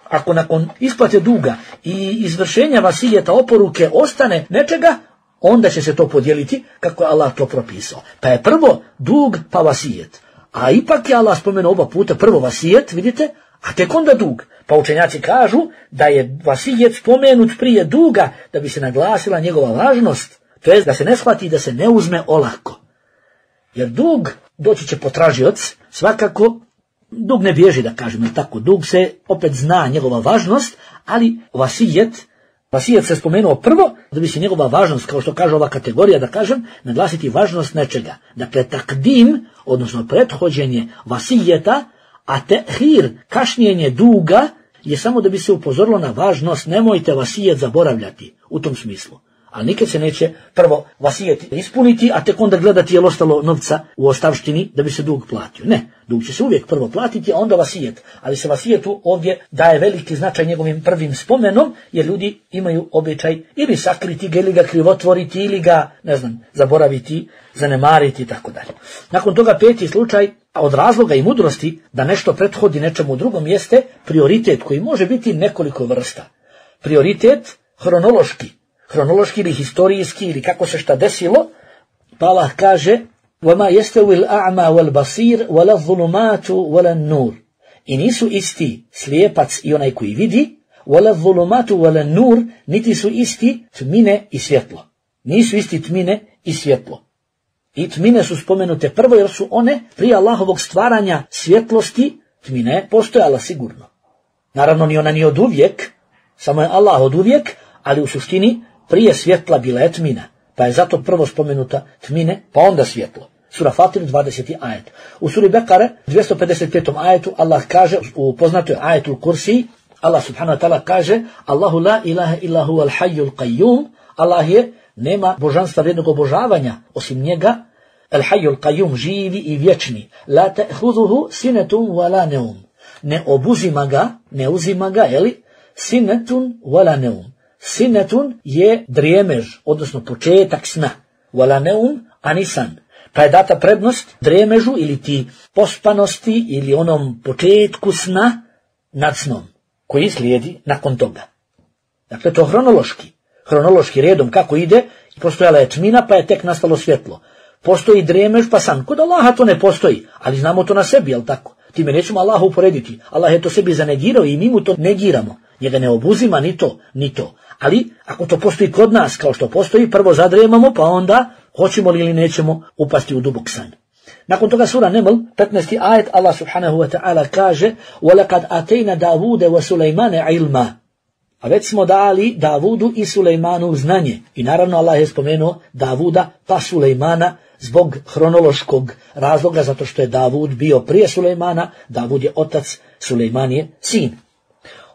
Ako nakon isplate duga i izvršenja vasijeta oporuke ostane nečega, onda će se to podijeliti kako je Allah to propisao. Pa je prvo dug, pa vasijet. A ipak je Allah spomenuo oba puta prvo vasijet, vidite, a tek onda dug. Pa učenjaci kažu da je vasijet spomenut prije duga da bi se naglasila njegova važnost, to jest da se ne shvati da se ne uzme olako. Jer dug doći će potražioc, svakako dug ne bježi, da kažem, tako, dug se opet zna njegova važnost, ali vasijet se spomenuo prvo da bi se njegova važnost, kao što kaže ova kategorija, da kažem, naglasiti važnost nečega. Dakle, takdim, odnosno prethođenje vasijeta, a tehir, kašnjenje duga, je samo da bi se upozorilo na važnost, nemojte vasijet zaboravljati u tom smislu. Ali nikad se neće prvo vasijet ispuniti, a tek onda gledati je li ostalo novca u ostavštini da bi se dug platio. Ne, dug će se uvijek prvo platiti, a onda vasijet. Ali se vasijetu ovdje daje veliki značaj njegovim prvim spomenom, jer ljudi imaju običaj ili sakriti ga, ili ga krivotvoriti, ili ga, zaboraviti, zanemariti i tako dalje. Nakon toga peti slučaj, a od razloga i mudrosti da nešto prethodi nečemu drugom jeste prioritet koji može biti nekoliko vrsta. Prioritet hronološki ili historijski ili kako se šta desilo, pa Allah kaže وَمَا يَسْتَوِي الْأَعْمَى وَالْبَصِيرُ وَلَا الظُّلُمَاتُ وَلَا النُّورُ. I nisu isti slijepac i onaj koji vidi, وَلَا الظُّلُمَاتُ وَلَا النُّورُ, niti su isti tmine i svjetlo. Nisu isti tmine i svjetlo. I tmine su spomenute prvo jer su one prije Allahovog stvaranja svjetlosti, tmine postojala sigurno. Naravno ni ona ni od uvijek, samo je Allah od uvijek, ali u suštini prije svjetla bila je tmina, pa je zato prvo spomenuta tmine, pa onda svjetlo. Sura Fatir, 20. ajet. U suri Bekare, 255. ajetu, Allah kaže, u poznatoj ajetu Kursi, Allah subhanahu wa ta'ala kaže, Allahu la ilaha illa huwa al-hayyul qayyum, Allah je, nema božanstva vrijednog obožavanja, osim njega, al-hayyul qayyum, živi i vječni, la ta'khudhuhu sinatun wala nawm. Ne uzima ga, sinatun wala nawm. Sinetun je drijemež, odnosno početak sna. Wala neum, ani san. Pa je data prednost drijemežu ili ti pospanosti ili onom početku sna nad snom, koji slijedi nakon toga. Dakle, to hronološki redom kako ide, postojala je tmina pa je tek nastalo svjetlo. Postoji drijemež pa san. Kod Allaha to ne postoji, ali znamo to na sebi, jel tako? Time nećemo Allaha uporediti. Allah je to sebi zanegirao i mi mu to negiramo. Njega ne obuzima ni to. Ali ako to postoji kod nas kao što postoji, prvo zadrijemamo, pa onda hoćemo li ili nećemo upasti u dubok san. Nakon toga sura Neml, 15. ajet, Allah subhanahu wa ta'ala kaže وَلَقَدْ أَتَيْنَا دَاوُودَ وَسُلَيْمَانَ عِلْمًا. A već smo dali Davudu i Sulejmanu znanje. I naravno Allah je spomenuo Davuda pa Sulejmana zbog hronološkog razloga, zato što je Davud bio prije Sulejmana, Davud je otac, Sulejman je sin.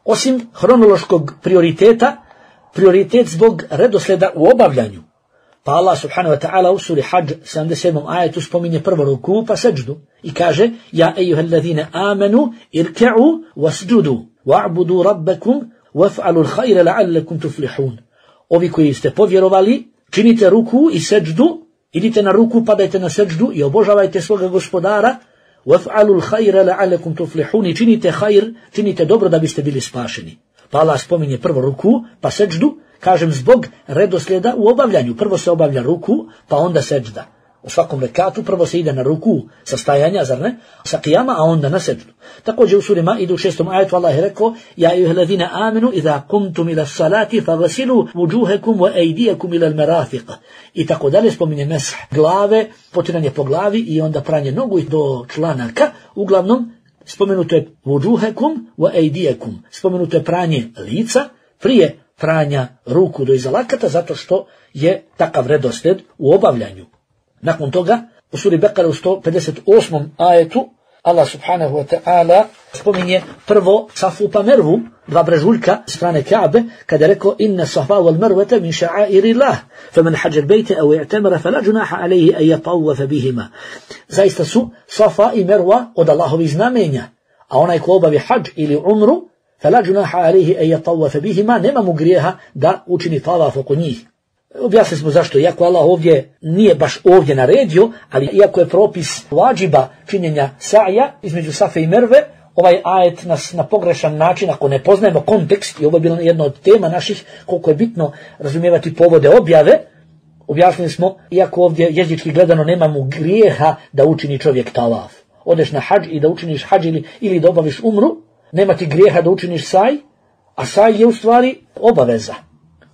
Osim hronološkog prioriteta, prioritet zbog redosleda u obavljanju. Pa Allah subhanahu wa ta'ala u suri Hadž 77. ajetu spominje prvo ruku pa seđdu i kaže Ja ejuhallazine amenu irke'u wasđudu wa'budu rabbakum waf'alul khayra la'allakum tuflihun. Ovi koji ste povjerovali, činite ruku i seđdu, idite na ruku, padajte na seđdu i obožavajte svoga gospodara, waf'alul khayra la'allakum tuflihun, i činite khayr, činite dobro da biste bili spašeni. Pa Allah spominje prvo ruku, pa seđdu, kažem zbog redoslijeda u obavljanju. Prvo se obavlja ruku, pa onda seđda. U svakom rekatu prvo se ide na ruku sa stajanja, zar ne? Sa qiyama, a onda na seđdu. Također u suri Maidu u 6. ajetu Allah je rekao Ja ejuhallazina amenu idha kumtum ila salati faghsilu wujuhakum wa aydiyakum ila al-marafiq. I tako dalje spominje mesh glave, potiranje po glavi i onda pranje nogu do članaka. Uglavnom spomenuto je wujuhakum wa aydiyakum. Spomenuto je pranje lica prije pranja ruku do iza lakata, zato što je takav redoslijed u obavljanju. Nakon toga, u suri Bekare u 158. ajetu, Allah subhanahu wa ta'ala spominje prvo Safu pa Mervu, dva brežuljka strane Ka'be, kada je rekao Inna safa wal marwata min sha'airi Allah, faman hađa al-bejte au i'tamara fala junaha alaihi an yatawafa bihima. Zaista su Safa i Merva od Allahovih znamenja, a onaj ko obavi hadž ili umru, fala junaha alaihi an yatawafa bihima, nema mu grijeha da učini tavaf oko njih. Objasnili smo zašto, iako Allah ovdje nije baš ovdje naredio, ali iako je propis vađiba činjenja sa'ja između Safe i Merve, ovaj ajet nas na pogrešan način, ako ne poznajemo kontekst, i ovo je bila jedna od tema naših, koliko je bitno razumijevati povode objave, objasnili smo, iako ovdje jezički gledano nemamo grijeha da učini čovjek tavaf. Odeš na hadž i da učiniš hadž ili da obaviš umru, nema ti grijeha da učiniš saj, a saj je u stvari obaveza.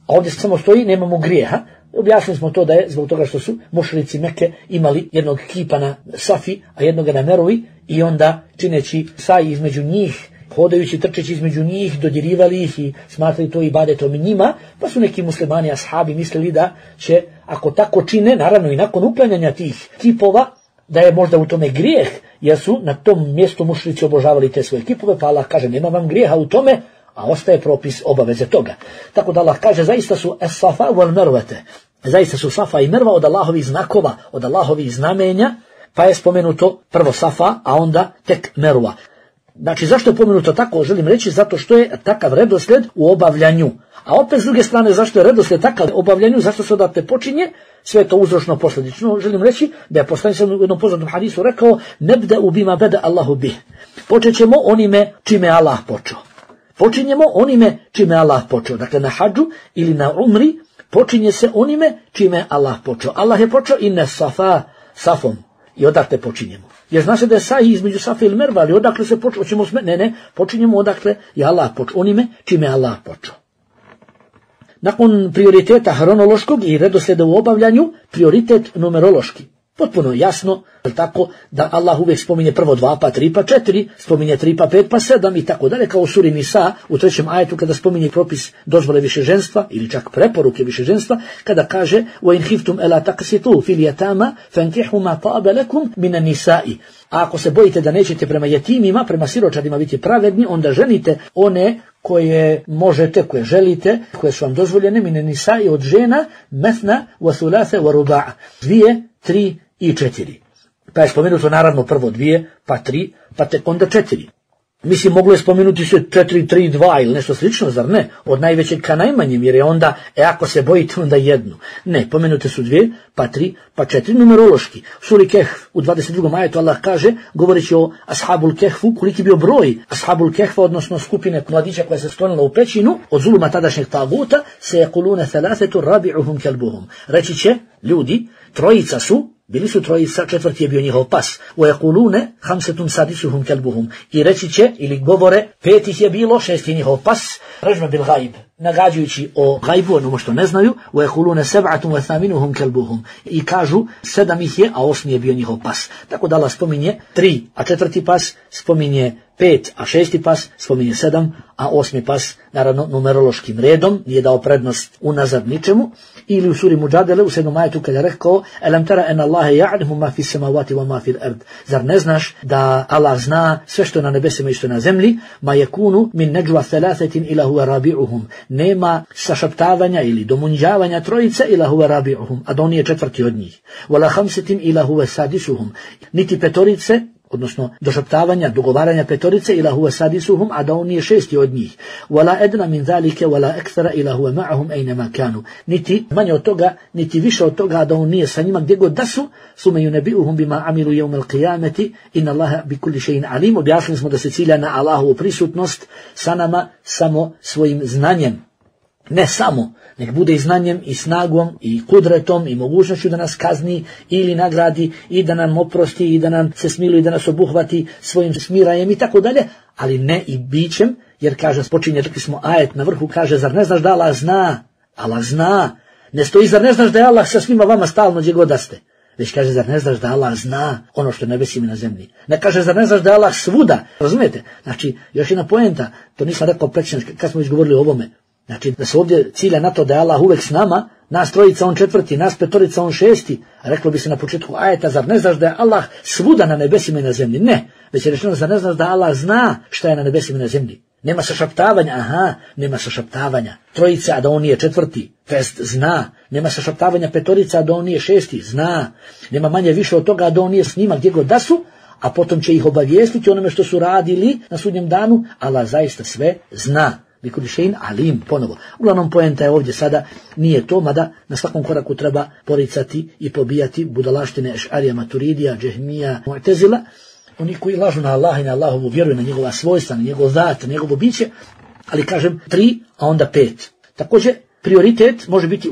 A ovdje samo stoji, nemamo grijeha. Objasnili smo to da je zbog toga što su mušrici Mekke imali jednog kipa na Safi, a jednoga na Mervi, i onda čineći saj između njih, hodajući, trčeći između njih, dodirivali ih i smatrali to ibadetom njima, pa su neki muslimani, ashabi mislili da će, ako tako čine, naravno i nakon uklanjanja tih kipova, da je možda u tome grijeh, jer su na tom mjestu mušrici obožavali te svoje kipove, pa Allah kaže nema vam grijeha u tome, a ostaje propis obaveze toga. Tako da Allah kaže zaista su as-safa wal marwata, zaista su Safa i Merva od Allahovih znakova, od Allahovih znamenja, pa je spomenuto prvo Safa, a onda tek Merva. Znači zašto je pomenuto tako, želim reći, zato što je takav redoslijed u obavljanju. A opet s druge strane, zašto je redoslijed takav u obavljanju, zašto se odatle počinje, sve je to uzročno posljedično. Želim reći da je poslanik u jednom poznatom hadisu rekao nebda'u bima bada Allahu bih. Počet ćemo onime čime Allah počeo. Počinjemo onime čime Allah počeo. Dakle, na hadžu ili na umri počinje se onime čime Allah počeo. Allah je počeo inna safa safom. I odakle počinjemo. Jer zna se da je saj između Safa ili Merva, ali odakle se počeo? Ne, počinjemo odakle je Allah počeo. Onime čime Allah počeo. Nakon prioriteta hronološkog i redoslijeda u obavljanju, prioritet numerološki. Potpuno jasno, tako da Allah uvijek spominje prvo 2, pa 3, pa 4, spominje 3, pa 5, pa 7 i tako dalje, kao u suri Nisa u 3. ajetu kada spominje propis dozvole višeženstva ili čak preporuke višeženstva, kada kaže وَإِنْ خِفْتُمْ أَلَا تَقْسِطُوا فِي الْيَتَامَ فَانْكِحُوا مَا طَابَ لَكُمْ مِنَ النِّسَاءِ. A ako se bojite da nećete prema jetimima, prema siročadima biti pravedni, onda ženite one koje možete, koje želite, koje su vam dozvoljene, mine nisa'i od žena, methna, wa thulatha, wa ruba'a. 2, 3 i 4. Pa je spomenuto naravno prvo 2, pa 3, pa tek onda 4. Mislim, moglo je spomenuti se 4, 3, 2 ili nešto slično, zar ne? Od najvećeg ka najmanjem, jer je onda, ako se bojite, onda jednu. Ne, pomenute su 2, pa 3, pa 4 numerološki. Suri Kehf u 22. ajetu Allah kaže, govoreći o Ashabul Kehfu, koliki bio broj Ashabul Kehfa, odnosno skupine mladića koja se sklonila u pećinu, od zuluma tadašnjeg taguta, se jekulune thalathetu rabi'uhum kelbuhum. Reći će ljudi, trojica su, bili su trojica, četvrti je bio njihov pas. وَيَقُولُونَ خَمْسَةٌ سَادِسُهُمْ كَلْبُهُمْ. I reći će, ili govore, 5 ih je bilo, 6 je njihov pas. Režme bil gaib. nagađujući o gajbu, ono što ne znaju, وَيَقُولُونَ سَبْعَةٌ وَثَامِنُهُمْ كَلْبُهُمْ, i kažu 7 ih je, a 8 je bio njihov pas. Tako da Allah spominje 3, a 4. pas, spominje 5, a 6. pas, spominje 7, a 8. pas, naravno numerološkim redom, nije dao prednost unazad ničemu. Ili u suri Muđadele u 7. ajetu kada je rekao Alam tara en Allahe ja'lamu ma fi samavati wa ma fil ard. Zar ne znaš da Allah zna sve što je na nebesima i što je na zemlji? Ma yakunu min najwa thalathatin ila huwa rabi'uhum. Nema sašaptavanja ili domunđavanja trojice ila huwa rabi'uhum, a da on je četvrti od njih. Wala khamsatin ila huwa sadisuhum. Niti petorice, odnosno došaptavanja, dogovaranja petorice ila huwa sadisuhum, a da on je šesti od njih. Wala edna min zalike wala ekthara ila huwa ma'ahum aynama kanu. Niti manje od toga, niti više od toga, da on nije sa njima gdje god da su. Suma yunabi'uhum bima amilu yawm al-qiyamati inna Allaha bi kulli shay'in alim. Objasnili smo da se cilja na Allahovu prisutnost sa nama samo svojim znanjem. Ne samo, nek bude i znanjem i snagom i kudretom i mogućnošću da nas kazni ili nagradi i da nam oprosti i da nam se smiluje i da nas obuhvati svojim smirajem i tako dalje, ali ne i bićem, jer kaže, počinje, rekli smo ajet na vrhu, kaže, zar ne znaš da Allah zna? Allah zna. Ne stoji, zar ne znaš da je Allah sa svima vama stalno gdje god da ste? Već kaže, zar ne znaš da Allah zna ono što je nebesima na zemlji? Ne kaže, zar ne znaš da je Allah svuda? Razumijete? Znači, još jedna poenta, to nisam rekao prečno kad smo izgovorili o ovome. Znači, da se ovdje cilja na to da je Allah uvek s nama, nas trojica on četvrti, nas petorica on šesti, reklo bi se na početku ajeta, zar ne znaš da je Allah svuda na nebesima i na zemlji? Ne, već je rečeno, zar ne znaš da Allah zna šta je na nebesima i na zemlji? Nema sašaptavanja, nema sašaptavanja trojica, a da on nije četvrti, test zna. Nema sašaptavanja petorica, a da on nije šesti, zna. Nema manje više od toga, a da on nije s njima gdje god da su, a potom će ih obavijestiti onome što su radili na sudnjem danu. Allah zaista sve zna. Bikulišein alim, ponovo. Uglavnom poenta je ovdje sada, nije to, mada na svakom koraku treba poricati i pobijati budalaštine Ešarija, Maturidija, Džehmija, Mu'tezila, oni koji lažu na Allaha i na Allahovu vjeru, na njegova svojstva, na njegov zat, na njegovo biće, ali kažem 3, a onda 5. Također, prioritet može biti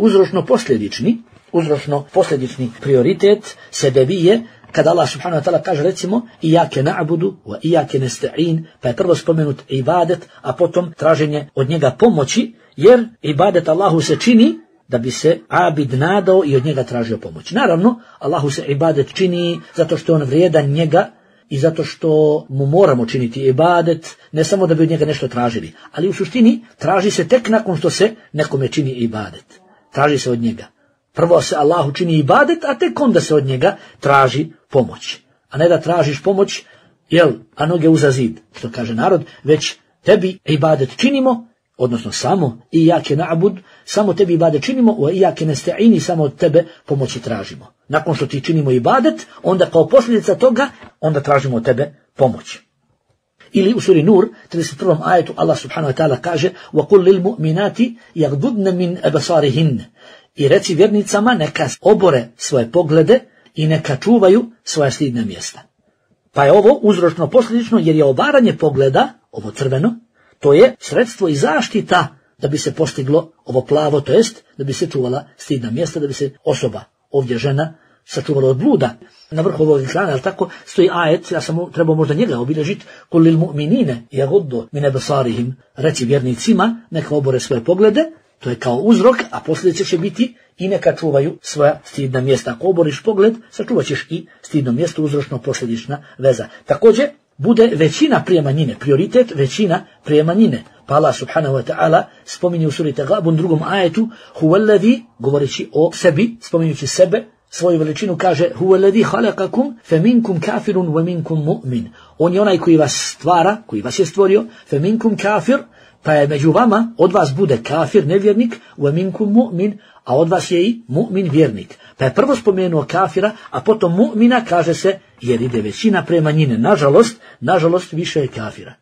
uzročno-posljedični prioritet sebebije, kada Allah subhanahu wa ta'ala kaže recimo ijake na'budu wa ijake nesta'in, pa je prvo spomenut ibadet, a potom traženje od njega pomoći, jer ibadet Allahu se čini da bi se abid nadao i od njega tražio pomoć. Naravno, Allahu se ibadet čini zato što on vrijedan njega i zato što mu moramo činiti ibadet, ne samo da bi od njega nešto tražili, ali u suštini traži se tek nakon što se nekome čini ibadet. Traži se od njega. Prvo se Allahu čini ibadet, a tek onda se od njega traži pomoć. A ne da tražiš pomoć, a noge uza zid, što kaže narod, već tebi ibadet činimo, odnosno samo ijake na'bud, samo tebi ibadet činimo, a ijake nesta'ini, samo od tebe pomoći tražimo. Nakon što ti činimo ibadet, onda kao posljedica toga, onda tražimo od tebe pomoć. Ili u suri Nur, 31. ajetu, Allah subhanahu wa ta'ala kaže وَقُلْ لِلْمُؤْمِنَاتِ يَغْضُضْنَ مِنْ أَبَصَارِهِنَّ. I reci vjernicama neka obore svoje poglede i neka čuvaju svoja stidna mjesta. Pa je ovo uzročno posljedično, jer je obaranje pogleda, ovo crveno, to je sredstvo i zaštita da bi se postiglo ovo plavo, to jest da bi se čuvala stidna mjesta, da bi se osoba, ovdje žena, sačuvala od bluda. Na vrhu ovog ekrana, ali tako, stoji ajet, ja sam trebao možda njega obilježiti, قُلْ لِلْمُؤْمِنِينَ يَغُضُّ مِنْ أَبْصَارِهِمْ. Reci vjernicima neka obore svoje poglede, to je kao uzrok, a posljedice će biti i neka čuvaju svoja stidna mjesta. Ako oboriš pogled, sačuvat ćeš i stidno mjesto, uzročno-posljedična veza. Također, bude većina prije manjine, prioritet većina prije manjine. Pa Allah subhanahu wa ta'ala spominje u suri Tagabun drugom ajetu, huvallazi, govoreći o sebi, spominjući sebe, svoju veličinu kaže, huvallazi halakakum, feminkum kafirun, wa minkum mu'min. On je onaj koji vas stvara, koji vas je stvorio, feminkum kafir, pa je među vama, od vas bude kafir, nevjernik, wa minkum mu'min, a od vas je i mu'min, vjernik. Pa je prvo spomenuo kafira, a potom mu'mina, kaže se, jer ide većina pre manjine. Nažalost, više je kafira.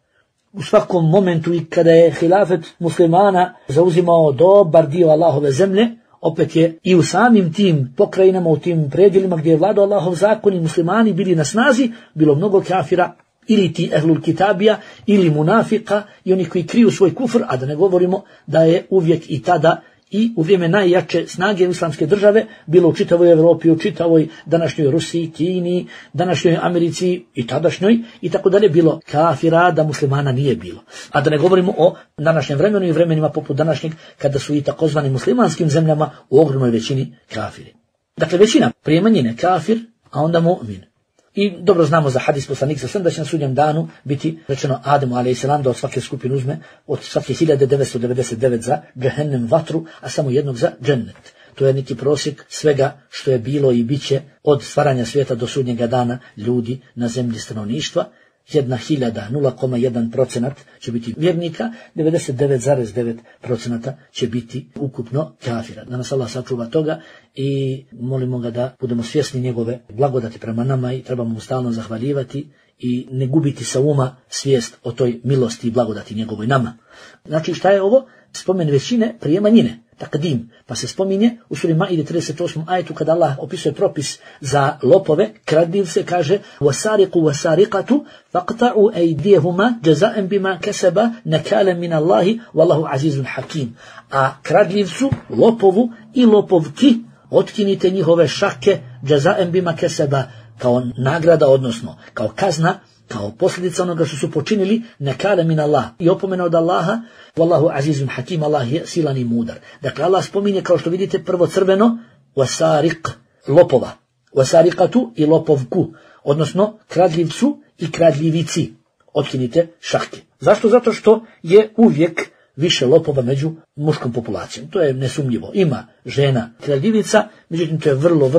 U svakom momentu i kada je hilafet muslimana zauzimao dobar dio Allahove zemlje, opet je i u samim tim pokrajinama, u tim predjelima gdje je vladao Allahov zakon i muslimani bili na snazi, bilo mnogo kafira, ili ti ehlul kitabija, ili munafika i oni koji kriju svoj kufr, a da ne govorimo da je uvijek i tada i u vrijeme najjače snage islamske države, bilo u čitavoj Evropi, u čitavoj današnjoj Rusiji, Kini, današnjoj Americi i tadašnjoj i tako dalje, bilo kafira, da muslimana nije bilo. A da ne govorimo o današnjem vremenu i vremenima poput današnjeg, kada su i takozvani muslimanskim zemljama u ogromnoj većini kafiri. Dakle, većina prije manjine kafir, a onda mu'min. I dobro znamo za hadis poslanika sallallahu da će na sudnjem danu biti rečeno Ademu a.s. da od svake skupine uzme od svake 1999 za džehennem vatru, a samo jednog za džennet. To je neki prosjek svega što je bilo i bit će od stvaranja svijeta do sudnjega dana ljudi na zemlji stanovništva. 0,1% će biti vjernika, 99,9% će biti ukupno kafira. Da nas Allah sačuva toga i molimo ga da budemo svjesni njegove blagodati prema nama i trebamo mu stalno zahvaljivati i ne gubiti sa uma svijest o toj milosti i blagodati njegovoj nama. Znači šta je ovo? Spomen većine prije manjine. Takdim, pa se spominje u suri Maide 38. ajetu kada Allah opisuje propis za lopove, kradljivce, kaže وَسَارِقُ وَسَارِقَةُ فَقْطَعُوا أَيْدِيَهُمَا جَزَاءً بِمَا كَسَبَ نَكَالًا مِنَ اللَّهِ وَاللَّهُ عَزِيزٌ حَكِيمٌ. A kradljivcu, lopovu i lopovki otkinite njihove šake جَزَاءً بِمَا كَسَبَ kao nagrada, odnosno kao kazna, kao posljedica onoga što su počinili, nekale min Allah, i opomena od Allaha, wallahu azizun hakim, Allah je silan i mudar. Dakle, Allah spominje, kao što vidite, prvo crveno, wasariq, lopova, wasariqatu i lopovku, odnosno kradljivcu i kradljivici, otkinite šake. Zašto? Zato što je uvijek više lopova među muškom populacijom. To je nesumnjivo. Ima žena kradljivica, međutim to je vrlo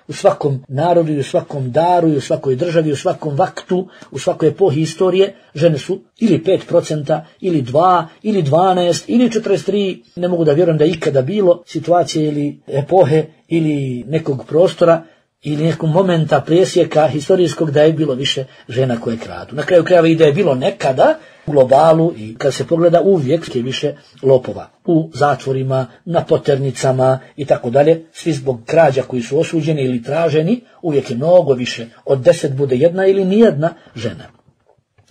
u svakom narodu i u svakom daru i u svakoj državi, u svakom vaktu, u svakoj epohi istorije, žene su ili 5%, ili 2, ili 12, ili 43, ne mogu da vjerujem da je ikada bilo situacije ili epohe ili nekog prostora ili nekog momenta presjeka historijskog da je bilo više žena koje kradu. Na kraju krajeva i da je bilo nekada u globalu i kad se pogleda uvijek je više lopova. U zatvorima, na poternicama i tako dalje, svi zbog krađa koji su osuđeni ili traženi, uvijek je mnogo više. Od 10 bude jedna ili nijedna žena.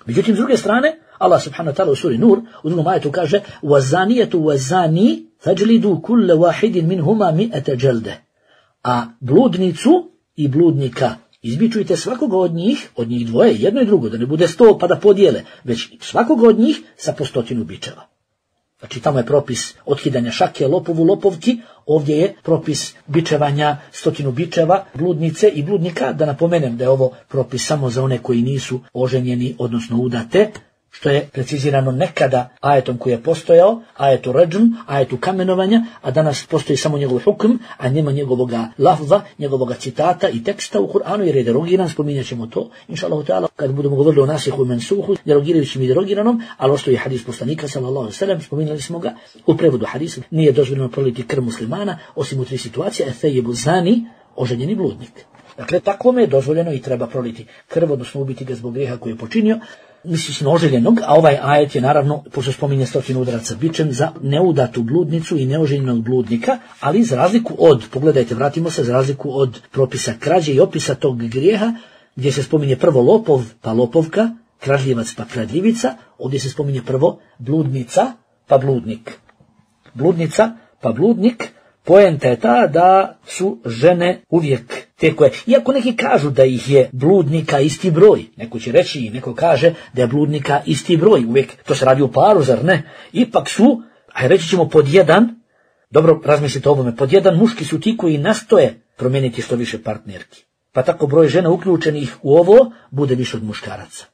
Međutim, s druge strane, Allah subhanahu wa ta'ala u suri Nur, u drugom ajetu kaže وَزَانِيَةُ وَزَانِي فَجْلِدُوا كُلَّ وَاحِدٍ مِنْهُمَا مِئَةَ جَلْدَ. A bludnicu i bludnika izbičujte svakoga od njih dvoje, jedno i drugo, da ne bude 100 pa da podijele, već svakoga od njih sa po 100 bičeva. Znači tamo je propis otkidanja šake, lopovu, lopovki, ovdje je propis bičevanja 100 bičeva, bludnice i bludnika, da napomenem da je ovo propis samo za one koji nisu oženjeni, odnosno udate, što je precizirano nekada ajetom koji je postojao, ajetu rajm, ajetu kamenovanja, a danas postoji samo njegov hukm, a nema njegovoga lafza, njegovoga citata i teksta u Kur'anu, jer je derogiran, spominjat ćemo to, inša Allah ta'ala, kad budemo govorili o nasihu i mensuhu, derogirajućim i derogiranom, ali ovo što je hadis poslanika, sallallahu alejhi ve sellem, spominjali smo ga, u prevodu hadisa, nije dozvoljeno proliti krv muslimana, osim u 3 situacije, ethajibu zani, oženjeni bludnik. Dakle, takvome je dozvoljeno i treba proliti krv, odnosno ubiti ga zbog grijeha koji je počinio, misli se na oženjenog, a ovaj ajet je naravno, pošto spominje 100 udaraca bičem, za neudatu bludnicu i neoženjenog bludnika, ali za razliku od, pogledajte, vratimo se, za razliku od propisa krađe i opisa tog grijeha, gdje se spominje prvo lopov pa lopovka, kradljivac pa kradljivica, ovdje se spominje prvo bludnica pa bludnik. Bludnica pa bludnik, poenta je ta da su žene uvijek te koje, iako neki kažu da ih je bludnika isti broj, neko će reći i neko kaže da je bludnika isti broj, uvijek to se radi u paru, zar ne? Ipak su, a reći ćemo pod jedan, dobro razmislite o ovome, pod jedan muški su ti koji nastoje promijeniti što više partnerki. Pa tako broj žena uključenih u ovo bude više od muškaraca.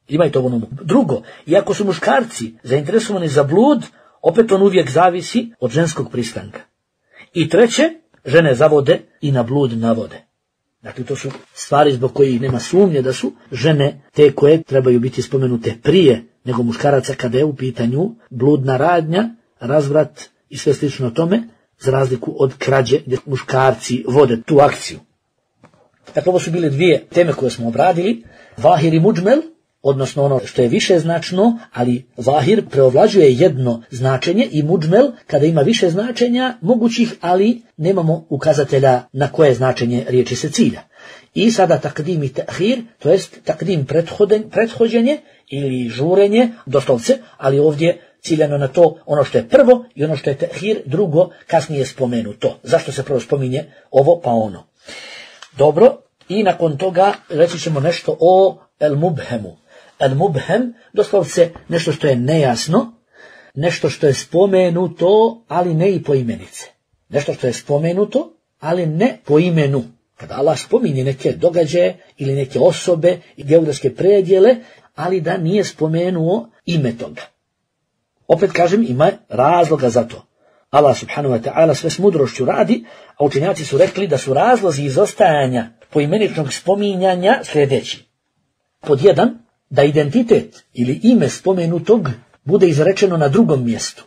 Imajte ovo na umu. Drugo, iako su muškarci zainteresovani za blud, opet on uvijek zavisi od ženskog pristanka. I treće, žene zavode i na blud navode. Dakle, to su stvari zbog kojih nema sumnje da su žene te koje trebaju biti spomenute prije nego muškaraca kada je u pitanju bludna radnja, razvrat i sve slično tome, za razliku od krađe gdje muškarci vode tu akciju. Dakle, ovo su bile dvije teme koje smo obradili. Vahir i muđmel, odnosno ono što je više značno, ali vahir preovlađuje jedno značenje i muđmel kada ima više značenja mogućih, ali nemamo ukazatelja na koje značenje riječi se cilja. I sada takdim i tahir, to jest takdim prethođenje ili žurenje, doslovce, ali ovdje ciljano na to ono što je prvo i ono što je tehir drugo kasnije spomenuto. Zašto se prvo spominje ovo pa ono? Dobro, i nakon toga reći ćemo nešto o el-mubhemu. El-mubhem, doslovce nešto što je nejasno, nešto što je spomenuto, ali ne i po imenice. Nešto što je spomenuto, ali ne po imenu. Kada Allah spominje neke događaje ili neke osobe i geografske predjele, ali da nije spomenuo ime toga. Opet kažem, ima razloga za to. Allah subhanahu wa ta'ala sve s mudrošću radi, a učenjaci su rekli da su razlozi izostajanja poimeničnog spominjanja sljedeći. Pod 1, da identitet ili ime spomenutog bude izrečeno na drugom mjestu.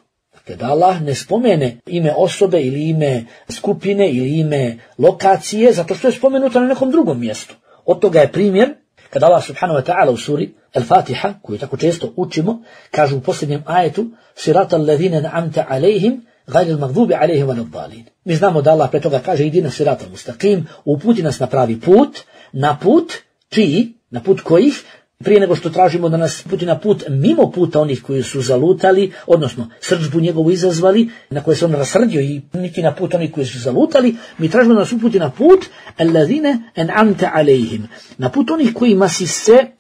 Kada Allah ne spomene ime osobe ili ime skupine ili ime lokacije, zato što je spomenuto na nekom drugom mjestu. Od toga je primjer kada Allah subhanahu wa ta'ala u suri Al-Fatiha, koju tako često učimo, kaže u posljednjem ajetu Sirata alladhina na'amta alejhim gajril magdubi alejhim waladdallin. Mi znamo da Allah pre toga kaže idina sirata mustaqim, uputi nas na pravi put, na put čiji, na put kojih, prije nego što tražimo da nas puti na put mimo puta onih koji su zalutali, odnosno srdžbu njegovu izazvali, na koje se on rasrdio i niti na put onih koji su zalutali, mi tražimo da nas uputi na put alladhine en'amta alejhim, na put onih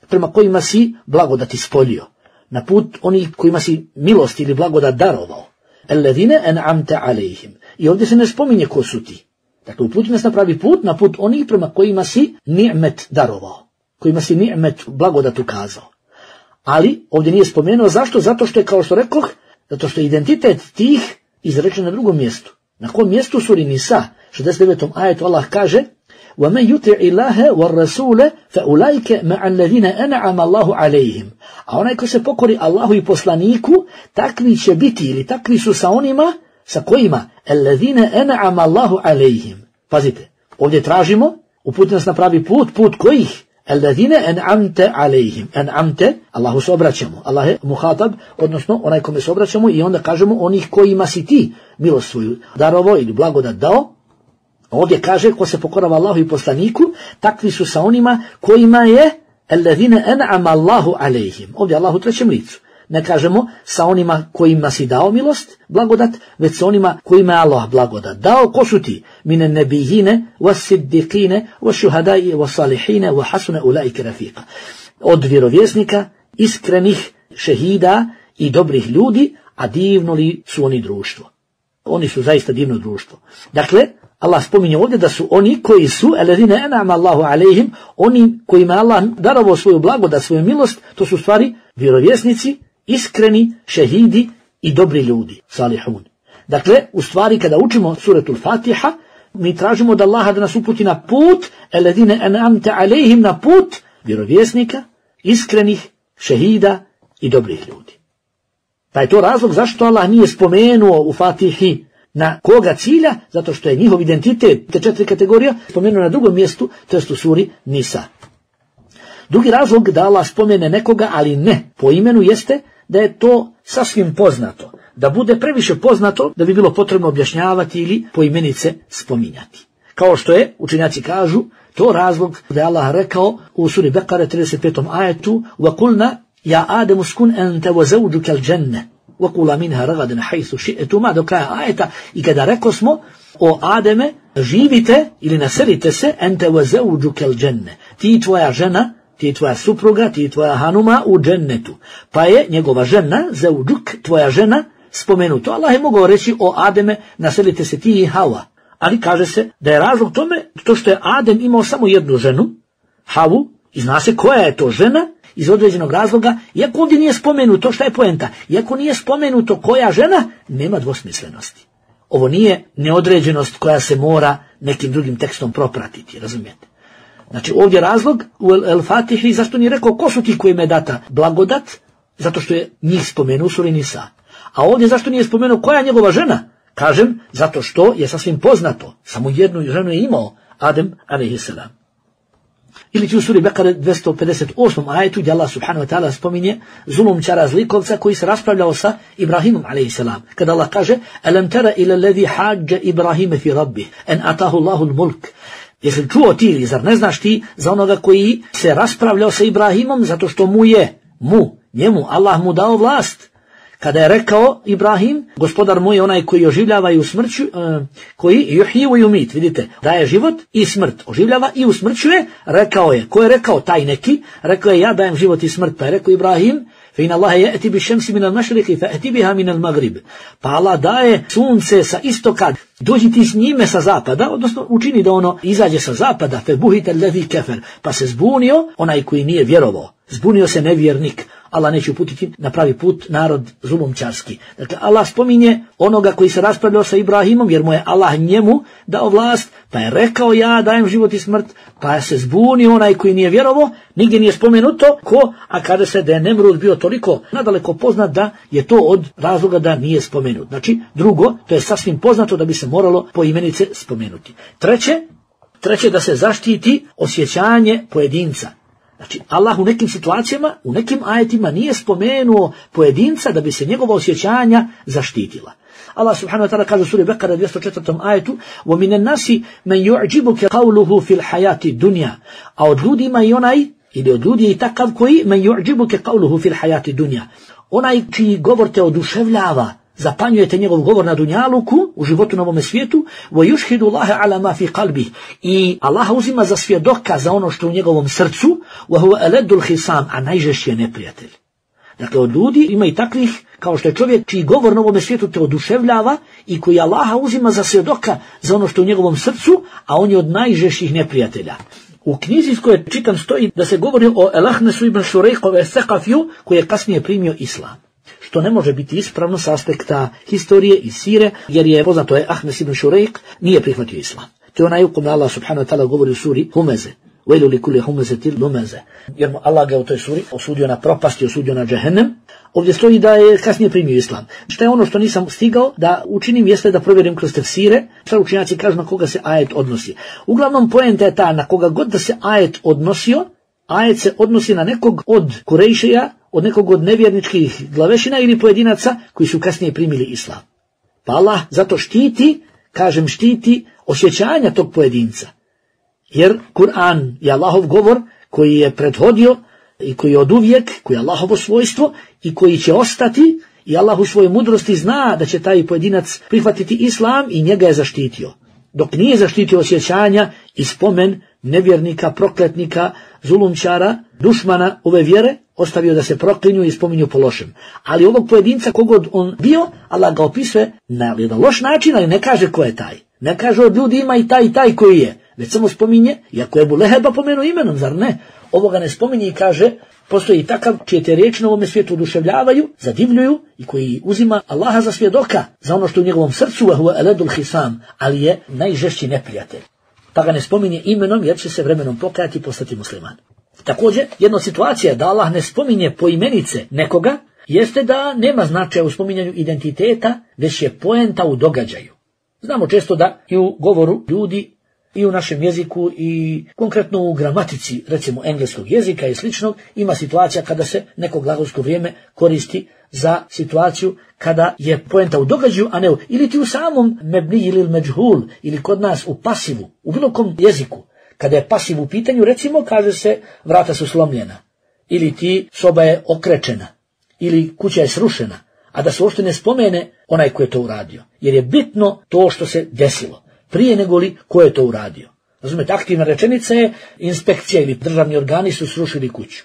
prema kojima si blagodati spolio, na put onih kojima si milost ili blagodat darovao. Alladhine en'amta alejhim. I ovdje se ne spominje ko su ti. Dakle, uputi nas na pravi put, na put onih prema kojima si ni'met darovao, kojima si ni'met blagodat ukazao. Ali ovdje nije spomenuo zašto? Zato što je, kao što rekoh, zato što je identitet tih izrečen na drugom mjestu. Na kom mjestu? Suri Nisa, 69. ajetu Allah kaže وَمَنْ يُطِعِ اللَّهَ وَالرَّسُولَ فَأُولَئِكَ مَعَ الَّذِينَ أَنْعَمَ اللَّهُ عَلَيْهِمْ. A onaj ko se pokori Allahu i poslaniku, takvi će biti ili takvi su sa onima sa kojima الَّذِينَ أَنْعَمَ اللَّهُ عَلَيْهِمْ. Pazite, ovdje tražimo, uputi nas na pravi put, put kojih? Alladhina en'amta alejhim. En'amte, Allahu se obraćamo. Allah je muhatab, odnosno onaj kome se obraćamo i onda kažemo onih kojima si ti milost svoju darovo ili blagodat dao. Ovdje kaže ko se pokorava Allahu i poslaniku, takvi su sa onima kojima je alladhina en'ama Allahu alejhim. Ovdje Allahu u trećem licu. Ne kažemo sa onima kojima si dao milost, blagodat, već sa onima kojima je Allah blagodat dao. Ko su ti? Mine nebijine, was siddiqine, was šuhadaje, was salihine, was hasune ulaike rafiqa. Od vjerovjesnika, iskrenih šehida i dobrih ljudi, a divno li su oni društvo? Oni su zaista divno društvo. Dakle, Allah spominje ovdje da su oni koji su alladhina en'ama Allahu alejhim, oni kojima Allah darovao svoju blagodat, svoju milost, to su stvari vjerovjesnici, iskreni, šehidi i dobri ljudi, salihun. Dakle, u stvari kada učimo suratul Fatiha, mi tražimo da Allah da nas uputi na put alladhina en'amta alejhim, na put vjerovjesnika, iskrenih, šehida i dobrih ljudi. Pa je to razlog zašto Allah nije spomenuo u Fatihi na koga cilja, zato što je njihov identitet, te 4 kategorija, spomenuo na drugom mjestu, to jest u suri Nisa. Drugi razlog da Allah spomene nekoga, ali ne po imenu, jeste da je to sasvim poznato. Da bude previše poznato, da bi bilo potrebno objašnjavati ili po imenice spominjati. Kao što je, učenjaci kažu, to razlog da je Allah rekao u suri Bekare 35. ajetu وَقُلْنَا يَا آدَمُ اسْكُنْ أَنْتَ وَزَوْجُكَ الْجَنَّةِ وَقُولَا مِنْهَا رَغَدًا حَيْثُ شِئْتُمَا, do kraja ajeta. I kada rekao smo o Ademe, živite ili naselite se ente وَزَوْجُكَ الْجَنَّةِ, ti tvoja žena, ti tvoja supruga, ti tvoja hanuma u džennetu. Pa je njegova žena, zauđuk, tvoja žena, spomenuto. Allah je mogao reći o Ademe, naselite se ti i Hawa. Ali kaže se da je razlog tome to što je Adem imao samo jednu ženu, Havu, i zna se koja je to žena, iz određenog razloga, iako ovdje nije spomenuto, šta je poenta? Iako nije spomenuto koja žena, nema dvosmislenosti. Ovo nije neodređenost koja se mora nekim drugim tekstom propratiti, razumijete? Znači ovdje razlog u El-Fatihi zašto nije rekao ko su ti kojima je data blagodat, zato što je njih spomenuo u suri Nisa. A ovdje zašto nije spomenuo koja je njegova žena? Kažem, zato što je sasvim poznato, samo jednu ženu je imao, Adem alejhisselam. Ili ti u suri Bekare 258. ajetu gdje Allah subhanahu wa ta'ala spominje zulumčara zlikovca koji se raspravljao sa Ibrahimom alejhisselam. Kada Allah kaže alam tara ila alladhi hajja Ibrahima fi rabbih an atahu Allahu al-mulk. Jesi čuo ti ili zar ne znaš ti za onoga koji se raspravljao sa Ibrahimom zato što njemu Allah mu dao vlast. kada je rekao Ibrahim, gospodar moj je onaj koji oživljava i usmrćuje, koji yuhyi wa yumit, vidite, daje život i smrt, oživljava i usmrćuje, rekao je, ko je rekao taj neki, rekao je ja dajem život i smrt, pa je rekao Ibrahim, فإن الله يأتي بالشمس من المشرق فأتي بها من المغرب. Pa Allah daje sunce sa istoka, dođi ti s njime sa zapada, odnosno učini da ono izađe sa zapada, febuhita alladhi kafar, pa se zbunio onaj koji nije vjerovao, zbunio se nevjernik. Allah neće uputiti na pravi put narod zulumčarski. Dakle, Allah spominje onoga koji se raspravljao sa Ibrahimom, jer mu je Allah njemu dao vlast, pa je rekao ja dajem život i smrt, pa je se zbunio onaj koji nije vjerovao, nigdje nije spomenuto ko, a kada se da je Nemrud bio toliko nadaleko poznat da je to od razloga da nije spomenut. Znači, drugo, to je sasvim poznato da bi se moralo po imenice spomenuti. Treće da se zaštiti osjećanje pojedinca. Znači, Allah u nekim situacijama, u nekim ajetima nije spomenuo pojedinca da bi se njegova osjećanja zaštitila. Allah subhanahu wa ta'ala kaže u suri Bekara 204. ajetu وَمِنَ النَّاسِ مَنْ يُعْجِبُكَ قَوْلُهُ فِي الْحَيَاةِ الدُّنْيَا. A od ljudi ima i onaj, ili od ljudi je i takav koji مَنْ يُعْجِبُكَ قَوْلُهُ فِي الْحَيَاةِ الدُّنْيا. Onaj čiji govor te oduševljava, zapanjujete njegov govor na dunjaluku, u životu na ovome svijetu, وَيُشْهِدُ اللَّهَ عَلَى مَا فِي قَلْبِهِ. I Allah uzima za svjedoka za ono što u njegovom srcu, وَهُوَ أَلَدُّ الْخِصَامِ, a najžešći je neprijatelj. Dakle, od ljudi ima i takvih, kao što je čovjek čiji govor na ovome svijetu te oduševljava i koji Allaha uzima za svjedoka za ono što u njegovom srcu, a on je od najžešćih neprijatelja. U knjizi iz koje čitam stoji da se govori o Elahnesu ibn Šurejkove Sekafiju, koji je kasnije primio islam. Što ne može biti ispravno s aspekta historije i sire, jer je poznato je Ahnes ibn Šurejk nije prihvatio islam. To je onaj u kome Allah subhanahu wa ta'ala govori u suri Humeze. Vejlu li kulli humezetil lumeze. Jer mu Allah ga u toj suri osudio na propast i osudio na džehennem. Ovdje stoji da je kasnije primio islam. Šta je ono što nisam stigao da učinim jeste da provjerim kroz tefsire, šta učenjaci kažu na koga se ajet odnosi. Uglavnom poenta je ta, na koga god da se ajet odnosio, ajet se odnosi na nekog od Kurejšija, od nekog od nevjerničkih glavešina ili pojedinaca koji su kasnije primili islam. Pa Allah zato štiti, kažem štiti, osjećanja tog pojedinca. Jer Kur'an je Allahov govor koji je prethodio i koji je oduvijek, koji je Allahovo svojstvo i koji će ostati i Allah u svojoj mudrosti zna da će taj pojedinac prihvatiti islam i njega je zaštitio. Dok nije zaštitio osjećanja i spomen nevjernika, prokletnika, zulumčara, dušmana ove vjere, ostavio da se proklinju i spominju po lošem. Ali ovog pojedinca kogod on bio, Allah ga opisuje na jedan loš način, ali ne kaže ko je taj. Ne kaže od ljudi ima i taj koji je. Već samo spominje, iako je Ebu Leheba pomenuo imenom, zar ne? Ovoga ne spominje i kaže, postoji i takav čije te riječi na ovome svijetu oduševljavaju, zadivljuju i koji uzima Allaha za svjedoka za ono što u njegovom srcu, وَهُوَ أَلَدُ الْخِصَامِ, ali je najžešći neprijatelj. Pa ga ne spominje imenom jer će se vremenom pokajati i postati musliman. Također, jedna situacija da Allah ne spominje poimenice nekoga, jeste da nema značaja u spominjanju identiteta, već je poenta u događaju. Znamo često da i u govoru ljudi i u našem jeziku i konkretno u gramatici, recimo engleskog jezika i sličnog, ima situacija kada se neko glagolsko vrijeme koristi za situaciju kada je poenta u događaju, a ne u, ili ti u samom mebni ili međhul, ili kod nas u pasivu, u bilo kom jeziku. Kada je pasiv u pitanju, recimo, kaže se vrata su slomljena, ili ti soba je okrečena, ili kuća je srušena, a da se uopšte ne spomene onaj ko je to uradio. Jer je bitno to što se desilo, prije nego li ko je to uradio. Razumete, aktivna rečenica je inspekcija ili državni organi su srušili kuću.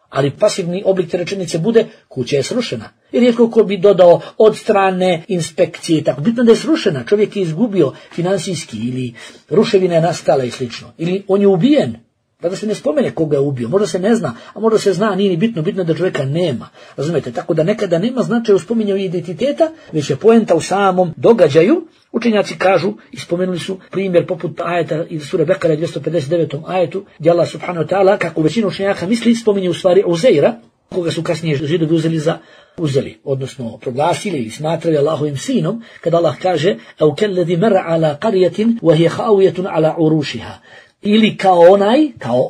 Ali pasivni oblik te rečenice bude kuća je srušena. I rijetko ko bi dodao od strane inspekcije, tako bitno da je srušena, čovjek je izgubio finansijski ili ruševina je nastala i slično. Ili on je ubijen, pa da se ne spomene koga je ubio, možda se ne zna, a možda se zna, nije ni bitno, bitno da čovjeka nema. Razumete, tako da nekada nema značaja u spominjanju identiteta, već je poenta u samom događaju. Učenjaci kažu i spomenuli su primjer poput ajeta iz sure Bekara 259. ajetu, gdje Allah subhanahu wa ta'ala, kako većina učenjaka misli, spominje u stvari Uzeira, koga su kasnije Židovi uzeli, odnosno proglasili i smatrali Allahovim sinom, kada Allah kaže au kellezi mar'a ala qaryatin wa hiya khawiyatun ala urushiha. Ili kao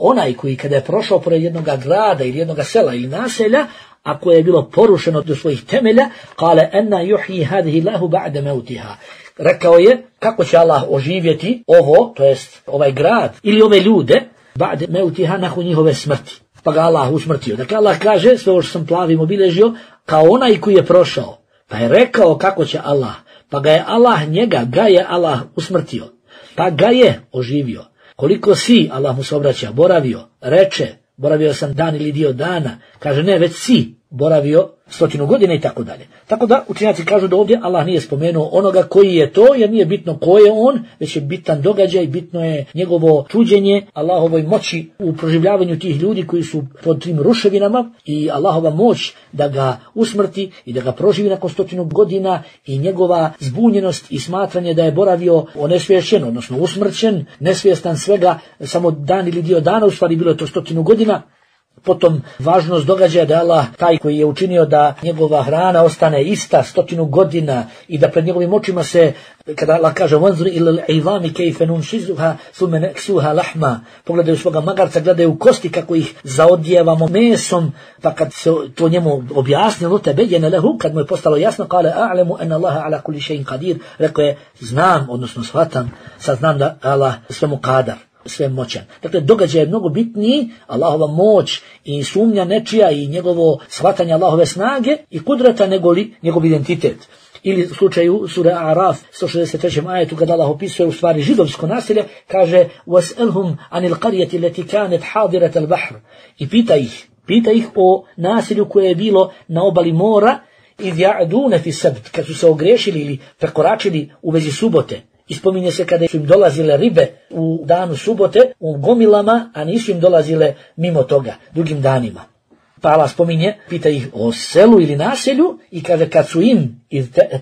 onaj koji kada je prošao pored jednog grada ili jednog sela ili naselja, a koje je bilo porušeno do svojih temelja, kale enna yuhyi hadhihi Allahu ba'da mautiha. Rekao je kako će Allah oživjeti ovo, to jest ovaj grad ili ove ljude, ba'da mautiha, nakon njihove smrti. Pa ga Allah usmrtio. Dakle, Allah kaže, sve ovo što sam plavim obilježio, kao onaj koji je prošao. Pa je rekao kako će Allah, pa ga je Allah ga je Allah usmrtio, pa ga je oživio. Koliko si, Allah mu se obraća, boravio, reče, boravio sam dan ili dio dana, kaže ne, već si boravio 100 godina i tako dalje. Tako da učenjaci kažu da ovdje Allah nije spomenuo onoga koji je to, jer nije bitno ko je on, već je bitan događaj, bitno je njegovo čuđenje, Allahovoj moći u proživljavanju tih ljudi koji su pod tim ruševinama i Allahova moć da ga usmrti i da ga proživi nakon 100 godina i njegova zbunjenost i smatranje da je boravio onesvješćen, odnosno usmrćen, nesvjestan svega, samo dan ili dio dana, u stvari bilo je to 100 godina. Potom važnost događaja da je Allah taj koji je učinio da njegova hrana ostane ista 100 godina i da pred njegovim očima se, kada Allah kaže wanzur ila al-'idami kayfa nunshizuha thumma naksuha lahma, pogledaju svoga magarca, gledaju kosti kako ih zaodjevamo mesom, pa kad se to njemu objasnilo, tabayyana lahu, kad mu je postalo jasno, kale a'lamu anna Allaha ala kulli shay'in qadir, rekao je znam, odnosno shvatam, saznam da Allah svemu kadar, sve moćan. Dakle, događaj je mnogo bitniji, Allahova moć i sumnja nečija i njegovo shvatanje Allahove snage i kudrata negoli njegov identitet. Ili u slučaju sura Araf 163. ajetu kada Allah opisuje u stvari židovsko naselje, kaže وَاسْأَلْهُمْ عَنِ الْقَرْيَةِ الَّتِي كَانَتْ حَاضِرَةَ الْبَحْرِ i pita ih o naselju koje je bilo na obali mora إِذْ يَعْدُونَ فِي السَّبْتِ, kad su se ogrešili ili prekoračili u vezi subote. I spominje se kada su im dolazile ribe u danu subote u gomilama, a nisu im dolazile mimo toga, drugim danima. Pa Allah spominje, pita ih o selu ili naselju i kaže kad su im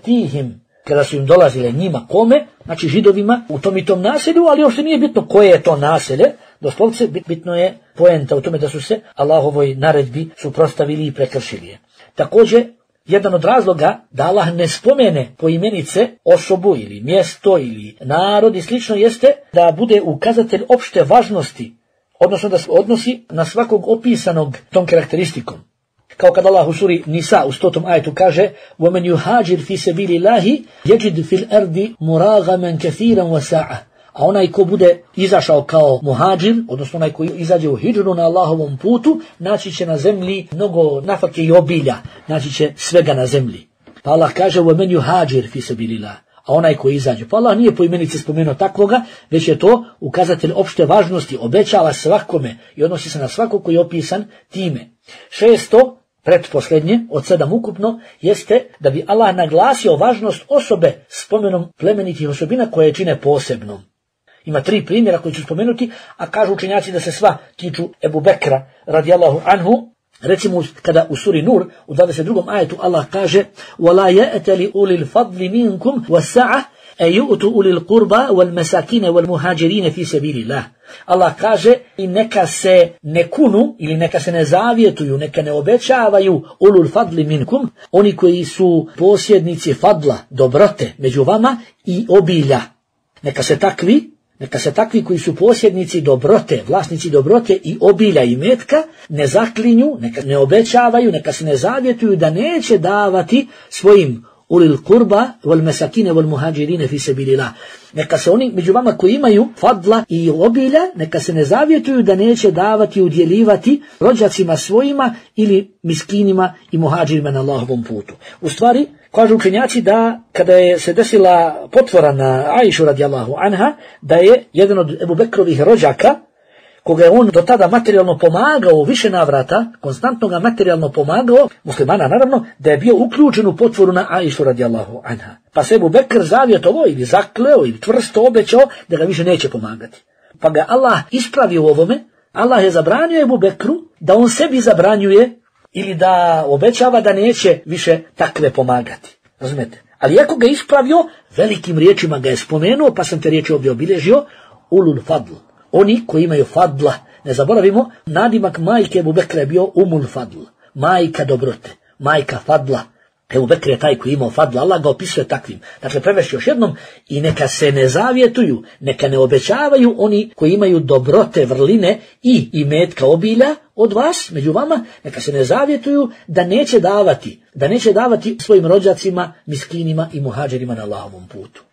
tihim, kada su im dolazile njima kome, znači židovima u tom i tom naselju, ali uopšte nije bitno koje je to naselje, doslovce bitno je poenta u tome da su se Allahovoj naredbi suprotstavili i prekršili je. Također, jedan od razloga da Allah ne spomene poimenice osobu ili mjesto ili narod i slično jeste da bude ukazatelj opšte važnosti, odnosno da se odnosi na svakog opisanog tom karakteristikom. Kao kad Allah u suri Nisa u 100. ajetu kaže وَمَنْ يُهَاجِرْ فِي سَبِيلِ اللَّهِ يَجِدْ فِي الْأَرْضِ مُرَاغَمًا كَثِيرًا وَسَعًا. A onaj ko bude izašao kao muhađir, odnosno onaj koji izađe u hidžru na Allahovom putu, naći će na zemlji mnogo nafake i obilja, naći će svega na zemlji. Pa Allah kaže وَمَنْ يُهَاجِرْ فِي سَبِيلِ اللَّهِ, a onaj koji izađe. Pa Allah nije po imenici spomenuo takvoga, već je to ukazatelj opšte važnosti, obećava svakome i odnosi se na svakog koji je opisan time. 6. Pretposljednje, od 7 ukupno, jeste da bi Allah naglasio važnost osobe spomenom plemenitih osobina koje čine posebnom. Ima 3 primjera koji ću spomenuti, a kažu učenjaci da se sva tiču Ebu Bekra radijallahu anhu. Recimo kada u suri Nur u 22. ajetu Allah kaže وَلَا يَأْتَلِ أُولِي الْفَضْلِ مِنْكُمْ وَالسَّعَةِ أَيُؤْتُ أُولِي الْقُرْبَى وَالْمَسَاكِينَ وَالْمُهَاجِرِينَ فِي سَبِيلِ اللَّهِ. Allah kaže i neka se ne kunu ili neka se ne zavjetuju, neka ne obećavaju ulul fadli minkum, oni koji su posjednici fadla, dobrote među vama i obilja. Neka se takvi koji su posjednici dobrote, vlasnici dobrote i obilja i metka, ne zaklinju, neka ne obećavaju, neka se ne zavjetuju da neće davati svojim ulil kurba wal mesakine wal muhađirine fi sabilillah. Neka se oni među vama koji imaju fadla i obilja, neka se ne zavjetuju da neće davati, udjeljivati rođacima svojima ili miskinima i muhađirima na Allahovom putu. U stvari, kažu učenjaci da kada je se desila potvora na Aishu radijallahu anha, da je jedan od Ebu Bekrovih rođaka, koga je on do tada materijalno pomagao u više navrata, konstantno ga materijalno pomagao, muslimana naravno, da je bio uključen u potvoru na Aishu radijallahu anha. Pa se Ebu Bekr zavjetovao ili zakleo ili čvrsto obećao da ga više neće pomagati. Pa ga Allah ispravio u ovome, Allah je zabranio Ebu Bekru da on sebi zabranjuje ili da obećava da neće više takve pomagati. Razumete? Ali iako ga ispravio, velikim riječima ga je spomenuo, pa sam te riječi ovdje obilježio, ulul fadl. Oni koji imaju fadla, ne zaboravimo, nadimak majke Ebu Bekra je bio umul fadl, majka dobrote, majka fadla. Ebu Bekr je taj koji imao fadla, Allah ga opisuje takvim. Dakle, prevešći još jednom, i neka se ne zavjetuju, neka ne obećavaju oni koji imaju dobrote, vrline i imetka obilja od vas, među vama, neka se ne zavjetuju da neće davati svojim rođacima, miskinima i muhađerima na Allahovom putu.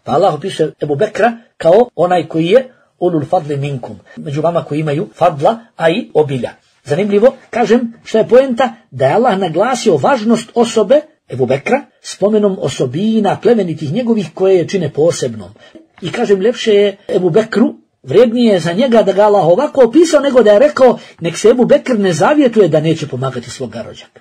Pa Allah opisuje Ebu Bekra kao onaj koji je ulul fadli minkum, među vama koji imaju fadla, a i obilja. Zanimljivo, kažem, što je poenta, da je Allah naglasio važnost osobe Ebu Bekra spomenom osobina plemenitih njegovih koje je čine posebnom. I kažem, ljepše je Ebu Bekru, vrijednije je za njega da ga Allah ovako opisao nego da je rekao nek se Ebu Bekr ne zavjetuje da neće pomagati svoga rođaka.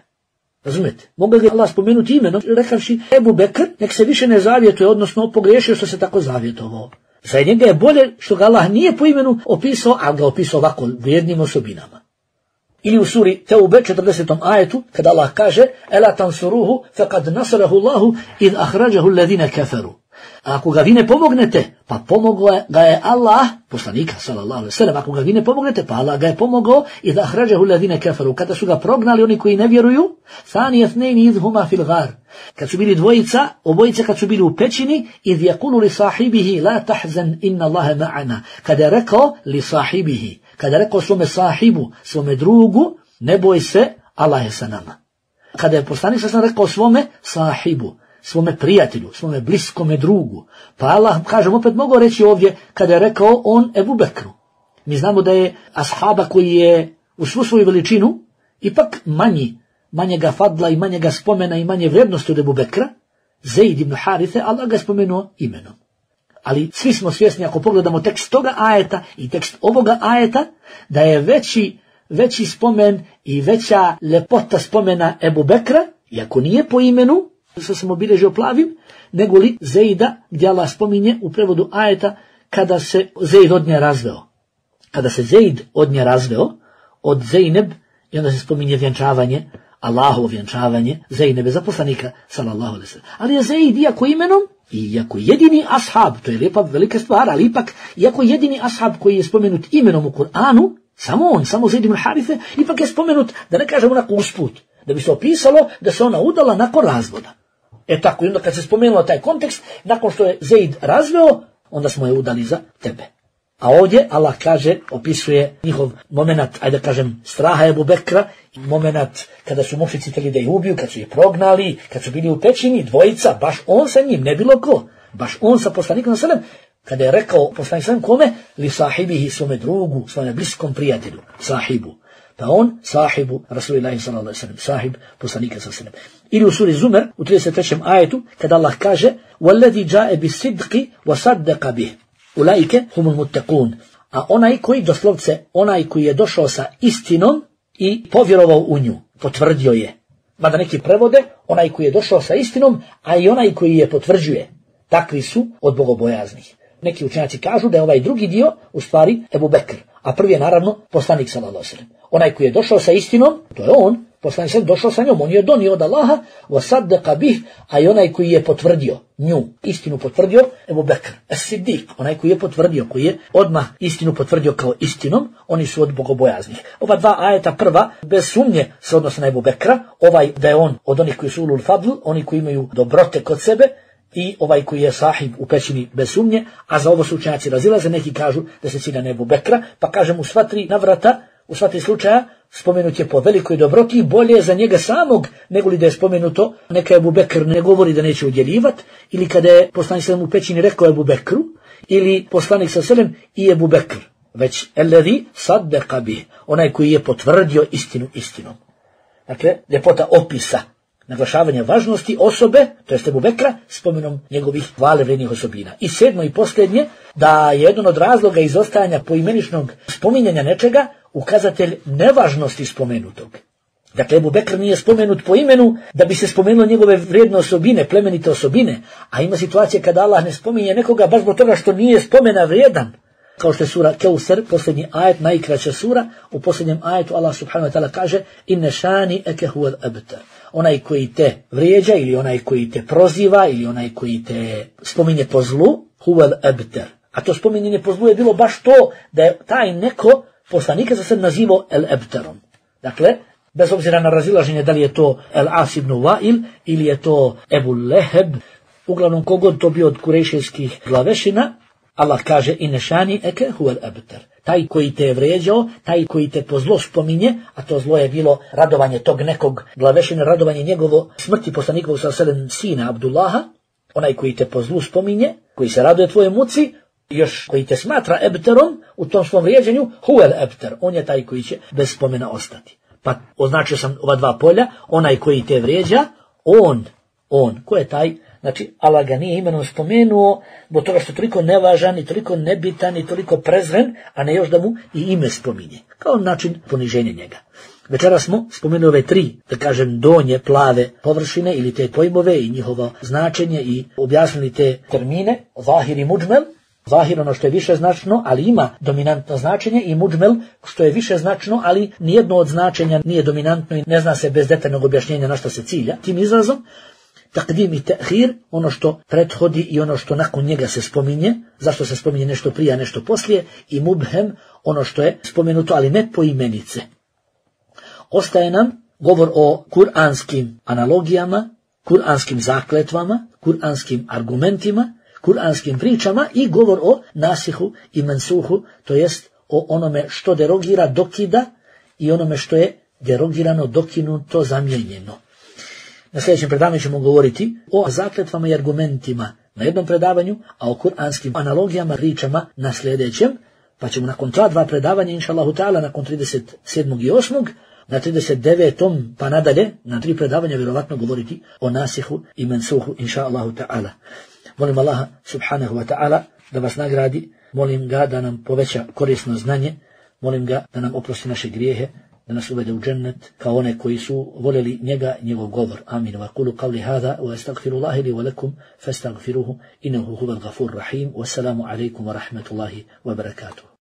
Razumete? Mogu ga Allah spomenuti imenom, rekavši Ebu Bekr nek se više ne zavjetuje, odnosno pogriješio što se tako zavjetovao. Za njega je bolje što ga Allah nije po imenu opisao, ali ga opisao ovako vrijednim osobinama. Ili u suri Teube 40. ajetu, kada Allah kaže Ela tansuruhu faqad nasarahu Allahu id ahrađahu alladhina kafaru. A ako ga vi ne pomognete, pa pomogao ga je Allah, poslanika sallallahu alejhi ve sellem, ako ga vi ne pomognete, pa Allah ga je pomogao id ahrađahu alladhina kafaru, kada su ga prognali oni koji ne vjeruju, thani ithnaini idh huma fil ghar. Kad su bili obojice kad su bili u pećini, idh yaqulu li sahibihi la tahzan inna Allaha ma'ana. Kada je rekao li sahibihi, kada je rekao svome sahibu, svome drugu, ne boj se, Allah je sa nama. Kada je poslanik sam rekao svome sahibu, svome prijatelju, svome bliskome drugu, pa Allah, kažem, opet mogu reći ovdje, kada je rekao on Ebu Bekru. Mi znamo da je ashaba koji je u svu svoju veličinu ipak manjega fadla i manjega spomena i manje vrijednosti od Ebu Bekra, Zeid ibn Harithe, Allah ga spomenuo imenom. Ali svi smo svjesni, ako pogledamo tekst toga ajeta i tekst ovoga ajeta, da je veći spomen i veća lepota spomena Ebu Bekra, iako nije po imenu, što sam obilježio plavim, nego li Zeida, gdje Allah spominje u prevodu ajeta kada se Zeid od nje razveo. Kada se Zeid od nje razveo, od Zejneb, i onda se spominje vjenčavanje, Allahovo vjenčavanje Zejnebe za poslanika, sallallahu alejhi ve sellem. Ali je Zeid, iako imenom, iako jedini ashab, to je lijepa velika stvar, ali ipak, iako jedini ashab koji je spomenut imenom u Kur'anu, samo Zeid ibn Harithe, ipak je spomenut, da ne kažemo onako usput, da bi se opisalo da se ona udala nakon razvoda. Tako, i onda kad se spomenuo taj kontekst, nakon što je Zeid razveo, onda smo je udali za tebe. A ovdje Allah kaže, opisuje njihov moment, ajde kažem, straha Ebu Bekra, moment kada su mušnici htjeli da ih ubiju, kad su ih prognali, kad su bili u pećini, dvojica, baš on sa njim, ne bilo ko, baš on sa poslanikom sallam, kada je rekao poslanik sallam kome, li sahibihi, svome drugu, svome bliskom prijatelju, sahibu. Pa on, sahibu Rasulillahi sallallahu alejhi ve sellem, sahib poslanika sallallahu alejhi ve sellem. Ili u suri Zumer, u 33. ajetu, kada Allah kaže, وَالَّذِي جَاءَ بِالصِّدْقِ وَصَدَّقَ بِهِ Ulaike humul muttaqun. A onaj koji, doslovce, onaj koji je došao sa istinom i povjerovao u nju, potvrdio je. Mada neki prevode, onaj koji je došao sa istinom, a i onaj koji je potvrđuje. Takvi su od bogobojaznih. Neki učenjaci kažu da je ovaj drugi dio u stvari Ebu Bekr, a prvi je naravno poslanik sallallahu alejhi ve sellem. Onaj koji je došao sa istinom, to je on, poslanik sallallahu došao sa njom, on je donio od Allaha, wasaddaqa bih, a i onaj koji je potvrdio nju, istinu potvrdio, Ebu Bekr, as-Siddiq, onaj koji je potvrdio, koji je odmah istinu potvrdio kao istinom, oni su od bogobojaznih. Ova dva ajeta, prva, bez sumnje se odnosi na Ebu Bekra, ovaj da je on od onih koji su ulul fadl, oni koji imaju dobrote kod sebe, i ovaj koji je sahib u pećini bez sumnje, a za ovo su učenjaci razilaze, neki kažu da se cilja na Ebu Bekra, pa kažem u sva tri navrata, u sva tri slučaja, spomenut je po velikoj dobroti i bolje je za njega samog, nego li da je spomenuto, neka Ebu Bekr ne govori da neće udjeljivat, ili kada je poslanik sallam u pećini rekao Ebu Bekru, ili poslanik sallam i Ebu Bekr, već alladhi saddaqa bih, onaj koji je potvrdio istinu istinom. Dakle, ljepota opisa, naglašavanje važnosti osobe, to jest Ebu Bekra, spomenom njegovih hvalevrijednih osobina. I sedmo i posljednje, da je jedan od razloga izostajanja poimeničnog spominjanja nečega, ukazatelj nevažnosti spomenutog. Dakle, Ebu Bekr nije spomenut po imenu da bi se spomenulo njegove vrijedne osobine, plemenite osobine, a ima situacije kada Allah ne spominje nekoga baš zbog toga što nije spomena vrijedan. Kao što je sura Keusar, posljednji ajet, najkraća sura, u posljednjem ajetu Allah subhanahu wa ta'ala kaže inne šani eke huvel abtar. Onaj koji te vrijeđa ili onaj koji te proziva ili onaj koji te spominje po zlu, huvel abtar. A to spominjenje po zlu je bilo baš to da je taj neko poslanika za sebe nazivao el abtarom. Dakle, bez obzira na razilaženje da li je to el As ibn Wa'il ili je to Ebu Leheb, uglavnom kogod to bio od kurejšijskih glavešina, Allah kaže inne šani eke huvel abtar. Taj koji te je vrijeđao, taj koji te po zlo spominje, a to zlo je bilo radovanje tog nekog glavešina, radovanje njegovo smrti poslanikovog sallallahu sina Abdullaha, onaj koji te po zlu spominje, koji se raduje tvoje muci, još koji te smatra ebterom u tom svom vrijeđenju, huvel ebter, on je taj koji će bez spomena ostati. Pa označio sam ova dva polja, onaj koji te vrijeđa, on on. Ko je taj? Znači, Allah ga nije imenom spomenuo, zbog toga što je toliko nevažan i toliko nebitan i toliko prezren, a ne još da mu i ime spominje. Kao način poniženja njega. Večera smo spomenuli ove 3, da kažem, donje plave površine ili te pojmove i njihovo značenje i objasnili te termine, zahir i muđmel. Zahir ono što je više značno, ali ima dominantno značenje, i muđmel što je više značno, ali nijedno od značenja nije dominantno i ne zna se bez detaljnog objašnjenja na što se cilja. Tim izrazom, takdim i tehir, ono što prethodi i ono što nakon njega se spominje, zašto se spominje nešto prije, a nešto poslije, i mubhem, ono što je spomenuto, ali ne po imenice. Ostaje nam govor o kuranskim analogijama, kuranskim zakletvama, kuranskim argumentima, kuranskim pričama i govor o nasihu i mensuhu, to jest o onome što derogira, dokida, i onome što je derogirano, dokinuto, zamijenjeno. Na sljedećem predavanju ćemo govoriti o zakletvama i argumentima na jednom predavanju, a o kuranskim analogijama, pričama na sljedećem, pa ćemo nakon ta 2 predavanja, inša Allahu ta'ala, nakon 37. i 8. na 39. pa nadalje, na 3 predavanja vjerovatno govoriti o nasihu i mensuhu, inša Allahu ta'ala. Molim Allaha subhanahu wa ta'ala da vas nagradi, molim ga da nam poveća korisno znanje, molim ga da nam oprosti naše grijehe, da nas uvede u džennet kao one koji su voljeli njega i njegov govor. Amin. Wa qulu qawli hadha wa astaghfirullahi li wa lakum fastaghfiruhu innahu huwal ghafurur rahim. Wassalamu alaykum wa rahmatullahi wa barakatuh.